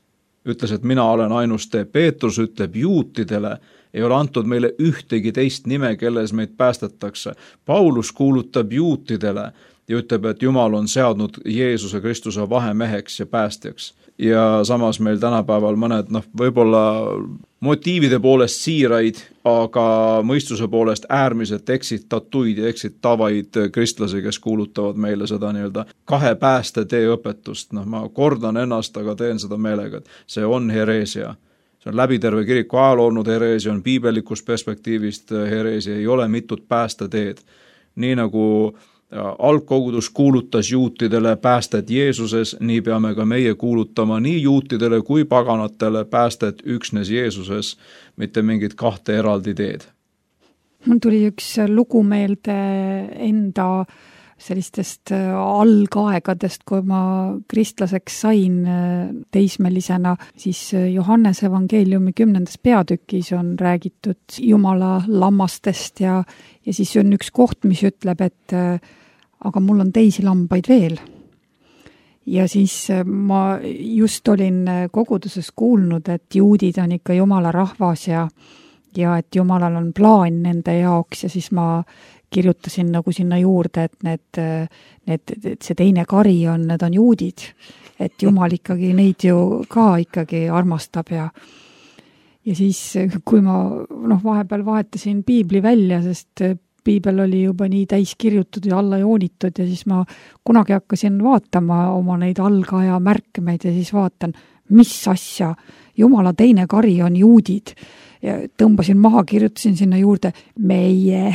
ütles, et mina olen ainus tee. Peetrus ütleb juutidele, ei ole antud meile ühtegi teist nime, kelles meid päästetakse. Paulus kuulutab juutidele ja ütleb, et Jumal on seadnud Jeesuse Kristuse vahemeheks ja päästjaks. Ja samas meil tänapäeval mõned, võib-olla motiivide poolest siiraid, aga mõistuse poolest äärmiselt eksitatuid ja eksitavaid kristlasi, kes kuulutavad meile seda nii-öelda kahe päästetee õpetust. Ma kordan ennast, aga teen seda meelega, et see on hereesia. See on läbi terve kiriku ajal olnud hereesia, on piibellikust perspektiivist hereesia, ei ole mitut päästeteed. Nii nagu algkogudus kuulutas juutidele päästet Jeesuses, nii peame ka meie kuulutama nii juutidele kui paganatele päästet üksnes Jeesuses, mitte mingit kahte eraldi teed. Mul tuli üks lugu meelde enda sellistest algaegadest, kui ma kristlaseks sain teismelisena, siis Johannese evangeeliumi 10. peatükis on räägitud Jumala lammastest ja siis on üks koht, mis ütleb, et aga mul on teisi lambaid veel. Ja siis ma just olin koguduses kuulnud, et juudid on ikka Jumala rahvas ja et Jumalal on plaan nende jaoks ja siis ma kirjutasin nagu sinna juurde, et see teine kari on, need on juudid, et Jumal ikkagi neid ju ka ikkagi armastab ja siis, kui ma vahepeal vahetasin piibli välja, sest piibel oli juba nii täis kirjutud ja alla joonitud ja siis ma kunagi hakkasin vaatama oma neid algaja märkmeid ja siis vaatan, mis asja, Jumala teine kari on juudid. Ja tõmbasin maha, kirjutasin sinna juurde meie.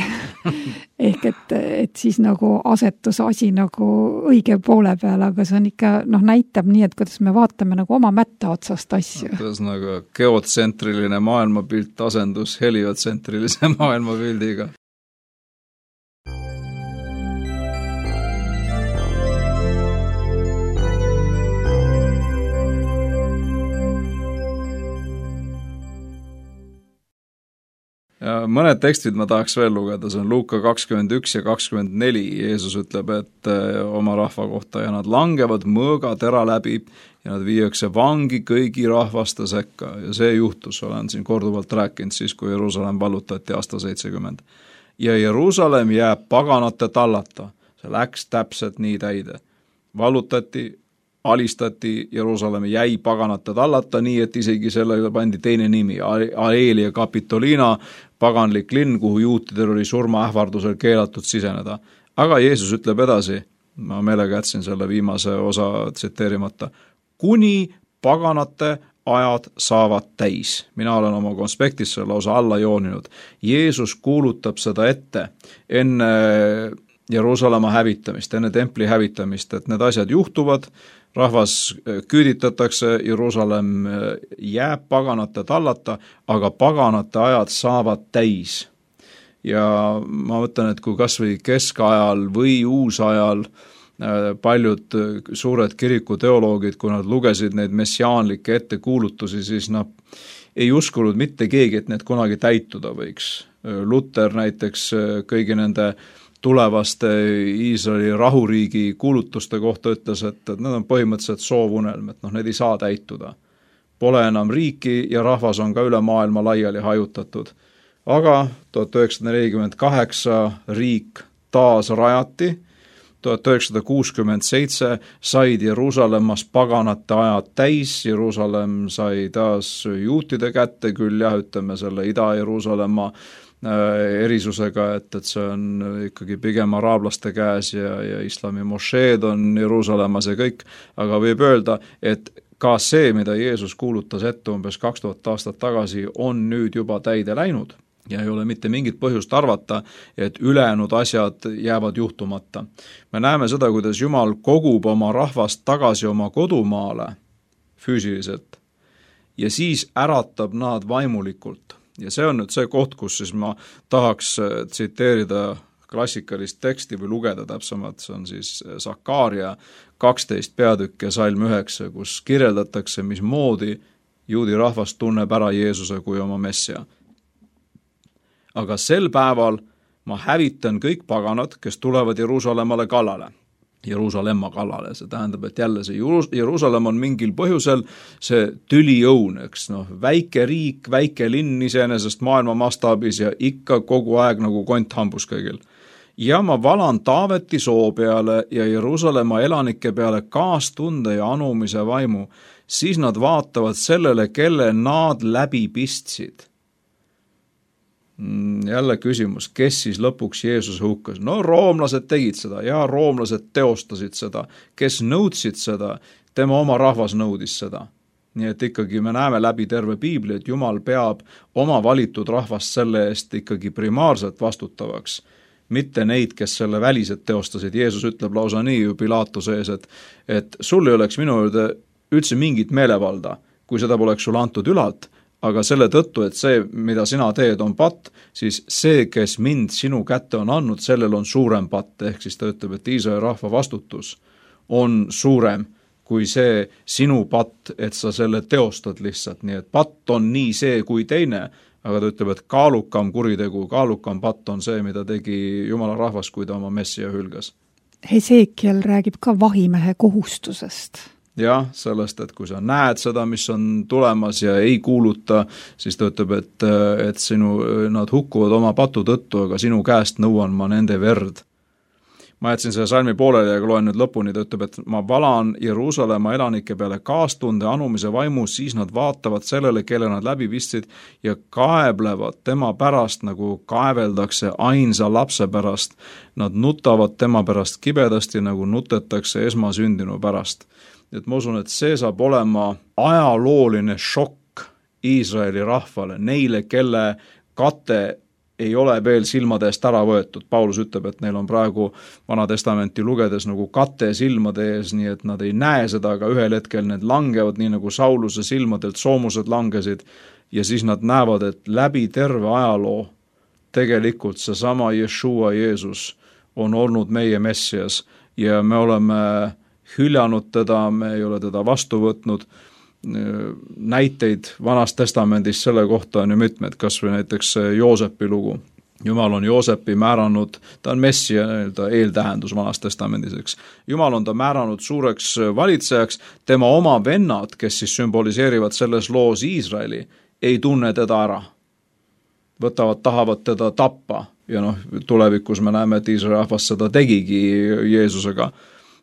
Ehk et siis nagu asetus asi nagu õige poole peale, aga see on ikka, näitab nii, et kuidas me vaatame nagu oma mätta otsast asju. Kuidas nagu geotsentriline maailmapilt asendus heliotsentrilise maailmapildiga. Ja mõned tekstid ma tahaks veel lugeda, see on Luuka 21 ja 24, Jeesus ütleb, et oma rahva kohta ja nad langevad mõõga tera läbi ja nad viiakse vangi kõigi rahvaste sekka ja see juhtus, olen siin korduvalt rääkinud siis, kui Jeruusalemm vallutati aasta 70. Ja Jeruusalemm jääb paganate tallata, see läks täpselt nii täide, vallutati, alistati, Jeruusalemm jäi paganate tallata, nii et isegi sellele pandi teine nimi, Aelia Capitolina, paganlik linn, kuhu juutidel oli surmaähvardusel keelatud siseneda. Aga Jeesus ütleb edasi, ma meelega jätsin selle viimase osa tsiteerimata, kuni paganate ajad saavad täis. Mina olen oma konspektis selle osa alla jooninud. Jeesus kuulutab seda ette enne Jeruusalemma hävitamist, enne templi hävitamist, et need asjad juhtuvad, rahvas küüditatakse, Jeruusalemm jääb paganate tallata, aga paganate ajad saavad täis. Ja ma mõtlen, et kui kas või keskajal või uusajal paljud suured kirikuteoloogid, kui nad lugesid neid messiaanlikke ettekuulutusi, siis ei uskunud mitte keegi, et need kunagi täituda võiks. Luther näiteks kõigi nende tulevaste Iisraeli rahuriigi kuulutuste kohta ütles, et need on põhimõtteliselt soovunelm, et need ei saa täituda. Pole enam riiki ja rahvas on ka üle maailma laiali hajutatud. Aga 1948 riik taas rajati, 1967 said Jeruusalemmas paganate ajad täis, Jeruusalemm sai taas juutide kätte, küll ütleme selle Ida-Jeruusalemma erisusega, et see on ikkagi pigem araablaste käes ja islami mošeed on Jeruusalemmas ja kõik, aga võib öelda, et ka see, mida Jeesus kuulutas ette umbes 2000 aastat tagasi, on nüüd juba täide läinud ja ei ole mitte mingit põhjust arvata, et ülejäänud asjad jäävad juhtumata. Me näeme seda, kuidas Jumal kogub oma rahvast tagasi oma kodumaale füüsiliselt ja siis äratab nad vaimulikult. Ja see on nüüd see koht, kus siis ma tahaks tsiteerida klassikalist teksti või lugeda täpsemalt, see on siis Sakaaria 12 peatükk ja salm 9, kus kirjeldatakse, mismoodi juudi rahvas tunneb ära Jeesuse kui oma messia. Aga sel päeval ma hävitan kõik paganad, kes tulevad Jeruusalemmale kallale. Jeruusalemma kallale, see tähendab, et jälle see Jeruusalemm on mingil põhjusel see tüliõun, eks väike riik, väike linn iseenesest maailma mastaabis ja ikka kogu aeg nagu kont hambus kõigil. Ja ma valan Taaveti soo peale ja Jeruusalemma elanike peale kaastunde ja anumise vaimu, siis nad vaatavad sellele, kelle nad läbi pistsid. Jälle küsimus, kes siis lõpuks Jeesuse hukkas? No roomlased tegid seda ja roomlased teostasid seda, kes nõudsid seda, tema oma rahvas nõudis seda. Nii et ikkagi me näeme läbi terve piibli, et Jumal peab oma valitud rahvast selle eest ikkagi primaarselt vastutavaks, mitte neid, kes selle väliselt teostasid. Jeesus ütleb lausa nii ju Pilaatuse ees, et sul ei oleks minu juurde üldse mingit meelevalda, kui seda poleks sul antud ülalt, aga selle tõttu, et see, mida sina teed, on patt, siis see, kes mind sinu kätte on andnud, sellel on suurem patt, ehk siis ta ütleb, et Iisraeli rahva vastutus on suurem kui see sinu patt, et sa selle teostad lihtsalt, nii et patt on nii see kui teine, aga ta ütleb, et kaalukam kuritegu, kaalukam patt on see, mida tegi Jumala rahvas, kui ta oma messia hülgas. Hesekiel räägib ka vahimehe kohustusest. Jah, sellest, et kui sa näed seda, mis on tulemas ja ei kuuluta, siis ta ütleb, et nad hukkuvad oma patu tõttu, aga sinu käest nõuan ma nende verd. Ma jätsin selle salmi pooleli ja loen nüüd lõpuni, ta ütleb, et ma valan Jeruusalemma elanike peale kaastunde anumise vaimu, siis nad vaatavad sellele, kelle nad läbi pistsid ja kaeblevad tema pärast, nagu kaeveldakse ainsa lapse pärast. Nad nutavad tema pärast kibedasti, nagu nutetakse esmasündinu pärast. Et ma usun, et see saab olema ajalooline šokk Iisraeli rahvale, neile, kelle kate ei ole veel silmade eest ära võetud. Paulus ütleb, et neil on praegu Vana Testamenti lugedes nagu kate silmade ees, nii et nad ei näe seda, aga ühel hetkel need langevad, nii nagu Sauluse silmadelt soomused langesid, ja siis nad näevad, et läbi terve ajaloo tegelikult seesama Jeshua Jeesus on olnud meie messias ja me oleme hüljanud teda, me ei ole teda vastu võtnud. Näiteid Vanast Testamendist selle kohta on ju mitmed, kas või näiteks Joosepi lugu. Jumal on Joosepi määranud, ta on messia eeltähendus Vanast Testamendis, eks. Jumal on ta määranud suureks valitsejaks, tema oma vennad, kes siis sümboliseerivad selles loos Iisraeli, ei tunne teda ära. Tahavad teda tappa ja tulevikus me näeme, et Iisraeli rahvas seda tegigi Jeesusega.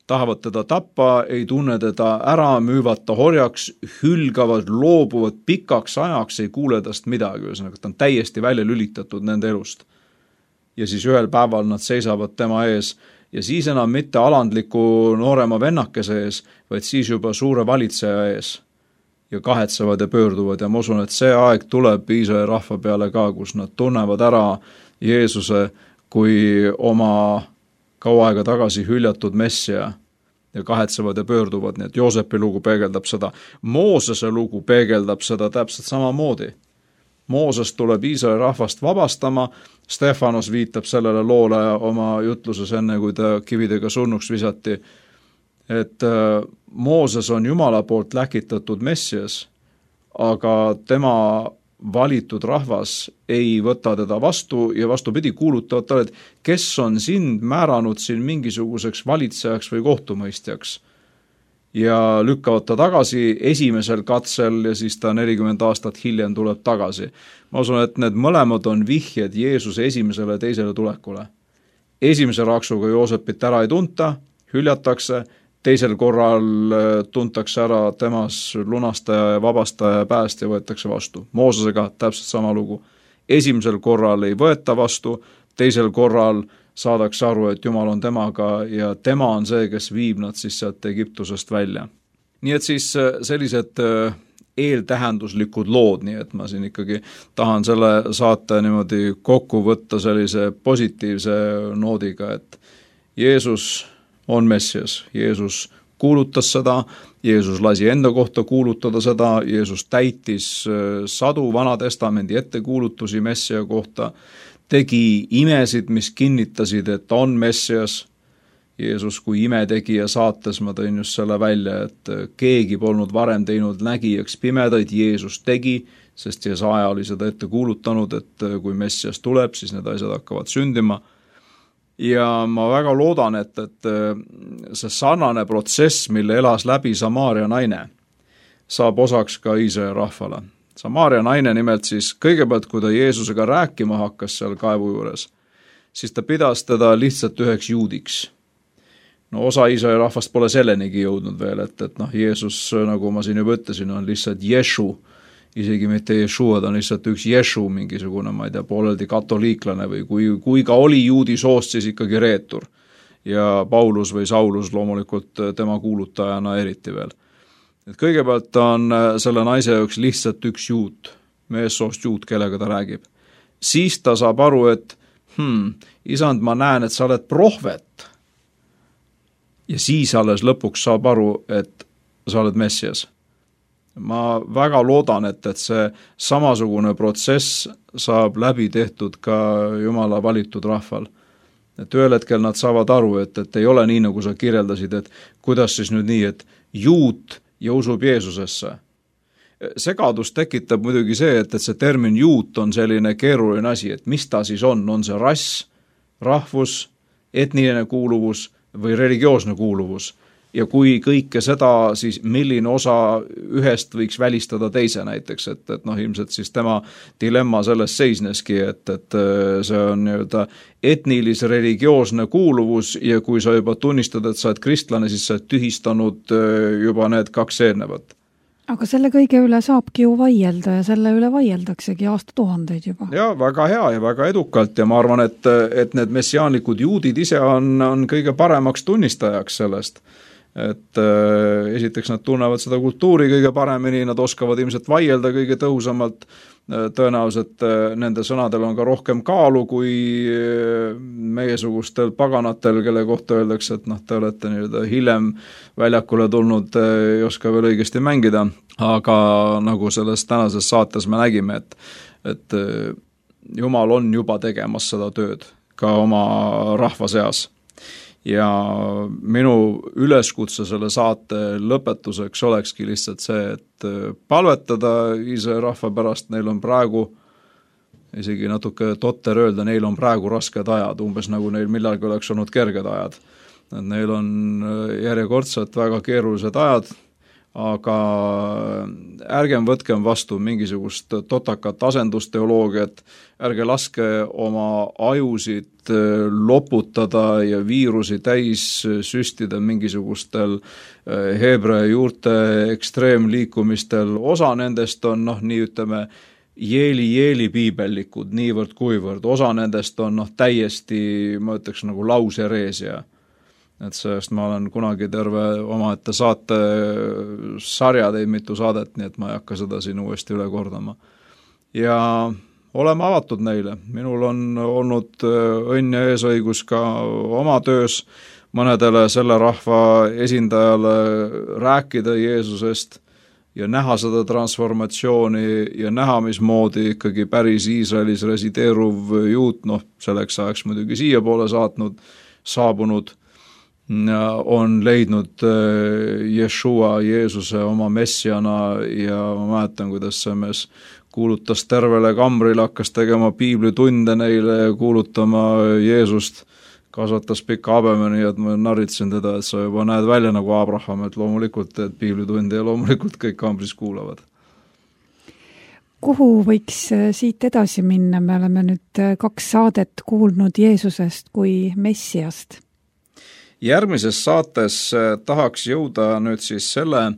Tahavad teda tappa, ei tunne teda ära, müüvad ta horjaks, hülgavad, loobuvad pikaks ajaks, ei kuule tast midagi, ta on täiesti välja lülitatud nende elust. Ja siis ühel päeval nad seisavad tema ees ja siis enam mitte alandliku noorema vennakese ees, vaid siis juba suure valitseja ees ja kahetsevad ja pöörduvad ja ma usun, et see aeg tuleb Iisraeli rahva peale ka, kus nad tunnevad ära Jeesuse kui oma kaua aega tagasi hüljatud messia ja kahetsevad ja pöörduvad, nii et Joosepi lugu peegeldab seda. Moosese lugu peegeldab seda täpselt samamoodi. Mooses tuleb Iisraeli rahvast vabastama, Stefanos viitab sellele loole oma jutluses enne, kui ta kividega surnuks visati, et Mooses on Jumala poolt läkitatud messias, aga tema valitud rahvas ei võta teda vastu ja vastupidi kuulutavad talle, et kes on sind määranud siin mingisuguseks valitsejaks või kohtumõistjaks. Ja lükkavad ta tagasi esimesel katsel ja siis ta 40 aastat hiljem tuleb tagasi. Ma usun, et need mõlemad on vihjed Jeesuse esimesele ja teisele tulekule. Esimese raksuga Joosepit ära ei tunta, hüljatakse, teisel korral tuntakse ära temas lunastaja ja vabastaja ja päästja võetakse vastu. Moosesega täpselt sama lugu. Esimesel korral ei võeta vastu, teisel korral saadakse aru, et Jumal on temaga ja tema on see, kes viib nad siis sealt Egiptusest välja. Nii et siis sellised eeltähenduslikud lood, nii et ma siin ikkagi tahan selle saate niimoodi kokku võtta sellise positiivse noodiga, et Jeesus on messias, Jeesus kuulutas seda, Jeesus lasi enda kohta kuulutada seda, Jeesus täitis sadu Vana Testamendi ettekuulutusi messia kohta, tegi imesid, mis kinnitasid, et ta on messias. Jeesus kui imetegija saates ma tõin just selle välja, et keegi polnud varem teinud nägijaks pimedaid, Jeesus tegi, sest Jesaja oli seda ette kuulutanud, et kui messias tuleb, siis need asjad hakkavad sündima. ja ma väga loodan, et see sarnane protsess, mille elas läbi Samaaria naine, saab osaks ka Iisraeli rahvale. Samaaria naine nimelt siis kõigepealt, kui ta Jeesusega rääkima hakkas seal kaevu juures, siis ta pidas teda lihtsalt üheks juudiks. No osa Iisraeli rahvast pole sellenigi jõudnud veel, et Jeesus, nagu ma siin juba ütlesin, on lihtsalt Ješu, isegi mitte Jeshua, ta on lihtsalt üks Ješu, mingisugune, ma ei tea, pooleldi katoliiklane või kui ka oli juudi soost, siis ikkagi reetur. Ja Paulus või Saulus loomulikult tema kuulutajana eriti veel. Et kõigepealt on selle naise jaoks lihtsalt üks juut, meessoost juut, kellega ta räägib. Siis ta saab aru, et isand, ma näen, et sa oled prohvet. Ja siis alles lõpuks saab aru, et sa oled Messias. Ma väga loodan, et see samasugune protsess saab läbi tehtud ka Jumala valitud rahval. Et ühel hetkel nad saavad aru, et ei ole nii, nagu sa kirjeldasid, et kuidas siis nüüd nii, et juut ja usub Jeesusesse. Segadus tekitab muidugi see, et see termin juut on selline keeruline asi, et mis ta siis on see rass, rahvus, etniline kuuluvus või religioosne kuuluvus. Ja kui kõike seda, siis milline osa ühest võiks välistada teise näiteks, et ilmselt siis tema dilemma selles seisneski, et see on etnilis-religioosne kuuluvus ja kui sa juba tunnistad, et sa oled kristlane, siis sa oled tühistanud juba need 2 eelnevat. Aga selle kõige üle saabki ju vaielda ja selle üle vaieldaksegi aastatuhandeid juba. Ja väga hea ja väga edukalt ja ma arvan, et need messiaanlikud juudid ise on kõige paremaks tunnistajaks sellest. Et esiteks nad tunnevad seda kultuuri kõige paremini, nad oskavad ilmselt vaielda kõige tõhusamalt, tõenäoliselt nende sõnadel on ka rohkem kaalu kui meiesugustel paganatel, kelle kohta öeldakse, et te olete hiljem väljakule tulnud, ei oska veel õigesti mängida, aga nagu selles tänases saates me nägime, et Jumal on juba tegemas seda tööd ka oma rahva seas. Ja minu üleskutse selle saate lõpetuseks olekski lihtsalt see, et palvetada Iisraeli rahva pärast, neil on praegu, isegi natuke totter öelda, neil on praegu rasked ajad, umbes nagu neil millalgi oleks olnud kerged ajad. Neil on järjekordselt väga keerulised ajad, aga ärgem võtkem vastu mingisugust totakat asendusteoloogiat, ärge laske oma ajusid loputada ja viirusi täis süstida mingisugustel heebrea juurte ekstreemliikumistel. Osa nendest on, jeeli piibellikud, niivõrd kuivõrd. Osa nendest on täiesti, ma ütleks, nagu lausereesia. Et sellest ma olen kunagi terve omaette saate sarja teinud mitu saadet, nii et ma ei hakka seda siin uuesti üle kordama. Ja oleme avatud neile. Minul on olnud õnn ja eesõigus ka oma töös mõnedele selle rahva esindajale rääkida Jeesusest ja näha seda transformatsiooni ja näha, mismoodi ikkagi päris Iisraelis resideeruv juut, selleks ajaks muidugi siia poole saabunud, on leidnud Jeshua, Jeesuse oma messiana ja ma mäletan, kuidas see mees kuulutas tervele kambril, hakkas tegema piiblitunde neile ja kuulutama Jeesust, kasvatas pika habemeni, et ma narritsin teda, et sa juba näed välja nagu Abraham, et loomulikult teed piiblitunde ja loomulikult kõik kambris kuulavad. Kuhu võiks siit edasi minna? Me oleme nüüd 2 saadet kuulnud Jeesusest kui messiast. Järgmises saates tahaks jõuda nüüd siis selle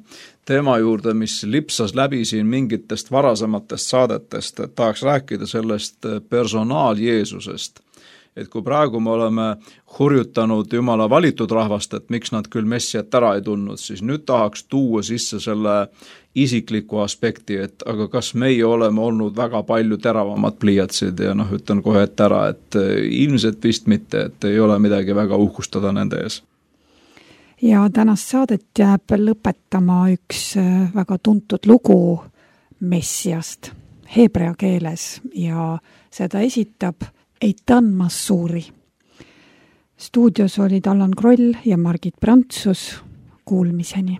teema juurde, mis lipsas läbi siin mingitest varasematest saadetest, et tahaks rääkida sellest personaal Jeesusest. Et kui praegu me oleme hurjutanud Jumala valitud rahvast, et miks nad küll messiat ära ei tulnud, siis nüüd tahaks tuua sisse selle isikliku aspekti, et aga kas meie oleme olnud väga palju teravamad pliiatsid ja ütlen kohe ette ära, et ilmselt vist mitte, et ei ole midagi väga uhkustada nende ees. Ja tänast saadet jääb lõpetama üks väga tuntud lugu messiast heebrea keeles ja seda esitab Eitan Massuuri. Stuudios olid Allan Kroll ja Margit Prantsus. Kuulmiseni.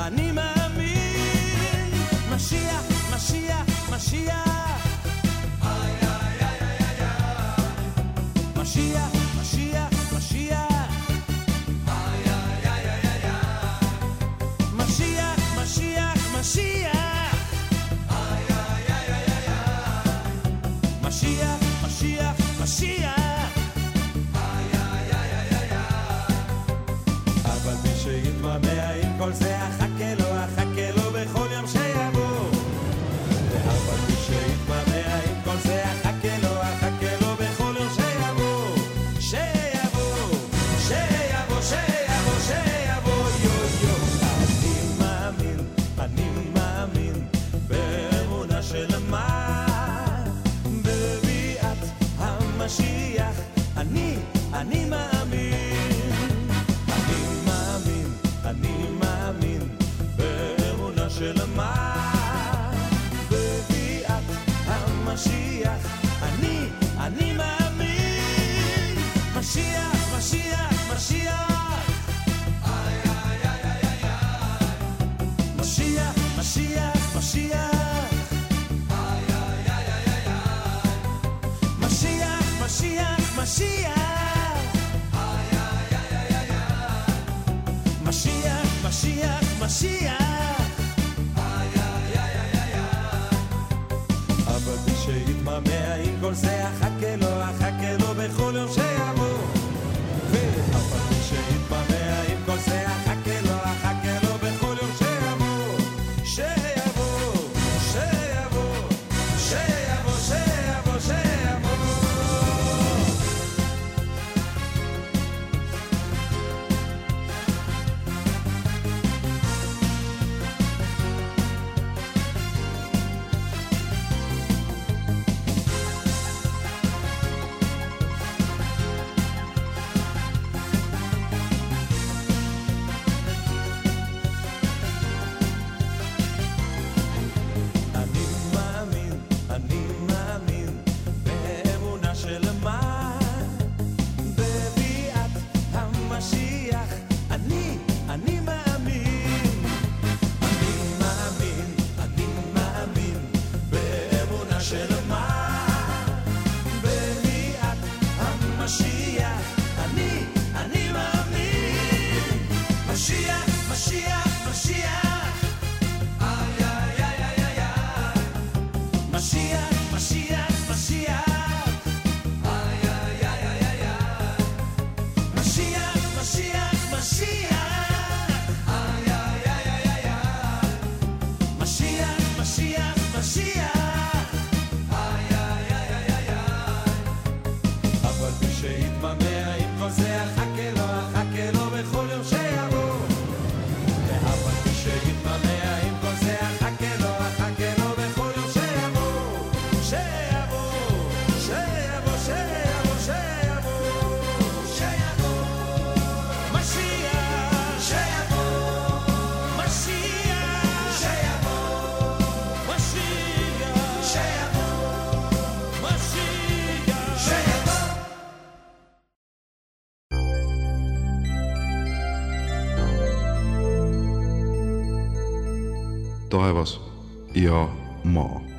אני מאמין. משיח, משיח, משיח. משיח, משיח, משיח. משיח, משיח, משיח. משיח, משיח, משיח. אבל מי שיתמהמה עם כל זה, אחכה לו בכל יום שיבוא. אבל מי שיתמהמה עם כל זה, אחכה לו בכל יום שיבוא. שיבוא, שיבוא, שיבוא, שיבוא, יו. אני מאמין באמונה שלמה בביאת המשיח. אני מאמין. אני מאמין באמונה שלמה בביאת המשיח. אני מאמין. משיח, משיח, משיח. משיח, משיח, משיח. משיח, משיח, משיח. משיח, משיח, משיח. אבל מי שיתמהמה עם כל זה, אחכה לו בכל יום שיבוא. אבל מי שיתמהמה עם כל זה, אחכה לו בכל יום שיבוא. שיבוא, שיבוא, שיבוא, שיבוא, שיבוא. אני מאמין באמונה שלמה בביאת המשיח. אני מאמין. אני מאמין באמונה שלמה בביאת המשיח. אני מאמין. משיח, משיח, משיח. משיח, משיח, משיח. משיח, משיח, משיח. משיח, משיח, משיח. אבל מי שיתמהמה עם כל זה, אחכה לו בכל יום שיבוא. אבל מי שיתמהמה עם כל זה, אחכה לו בכל יום שיבוא. שיבוא, שיבוא, שיבוא, שיבוא, שיבוא. משיח, שיבוא. משיח, שיבוא. משיח, שיבוא. משיח, שיבוא. taevas ja maa.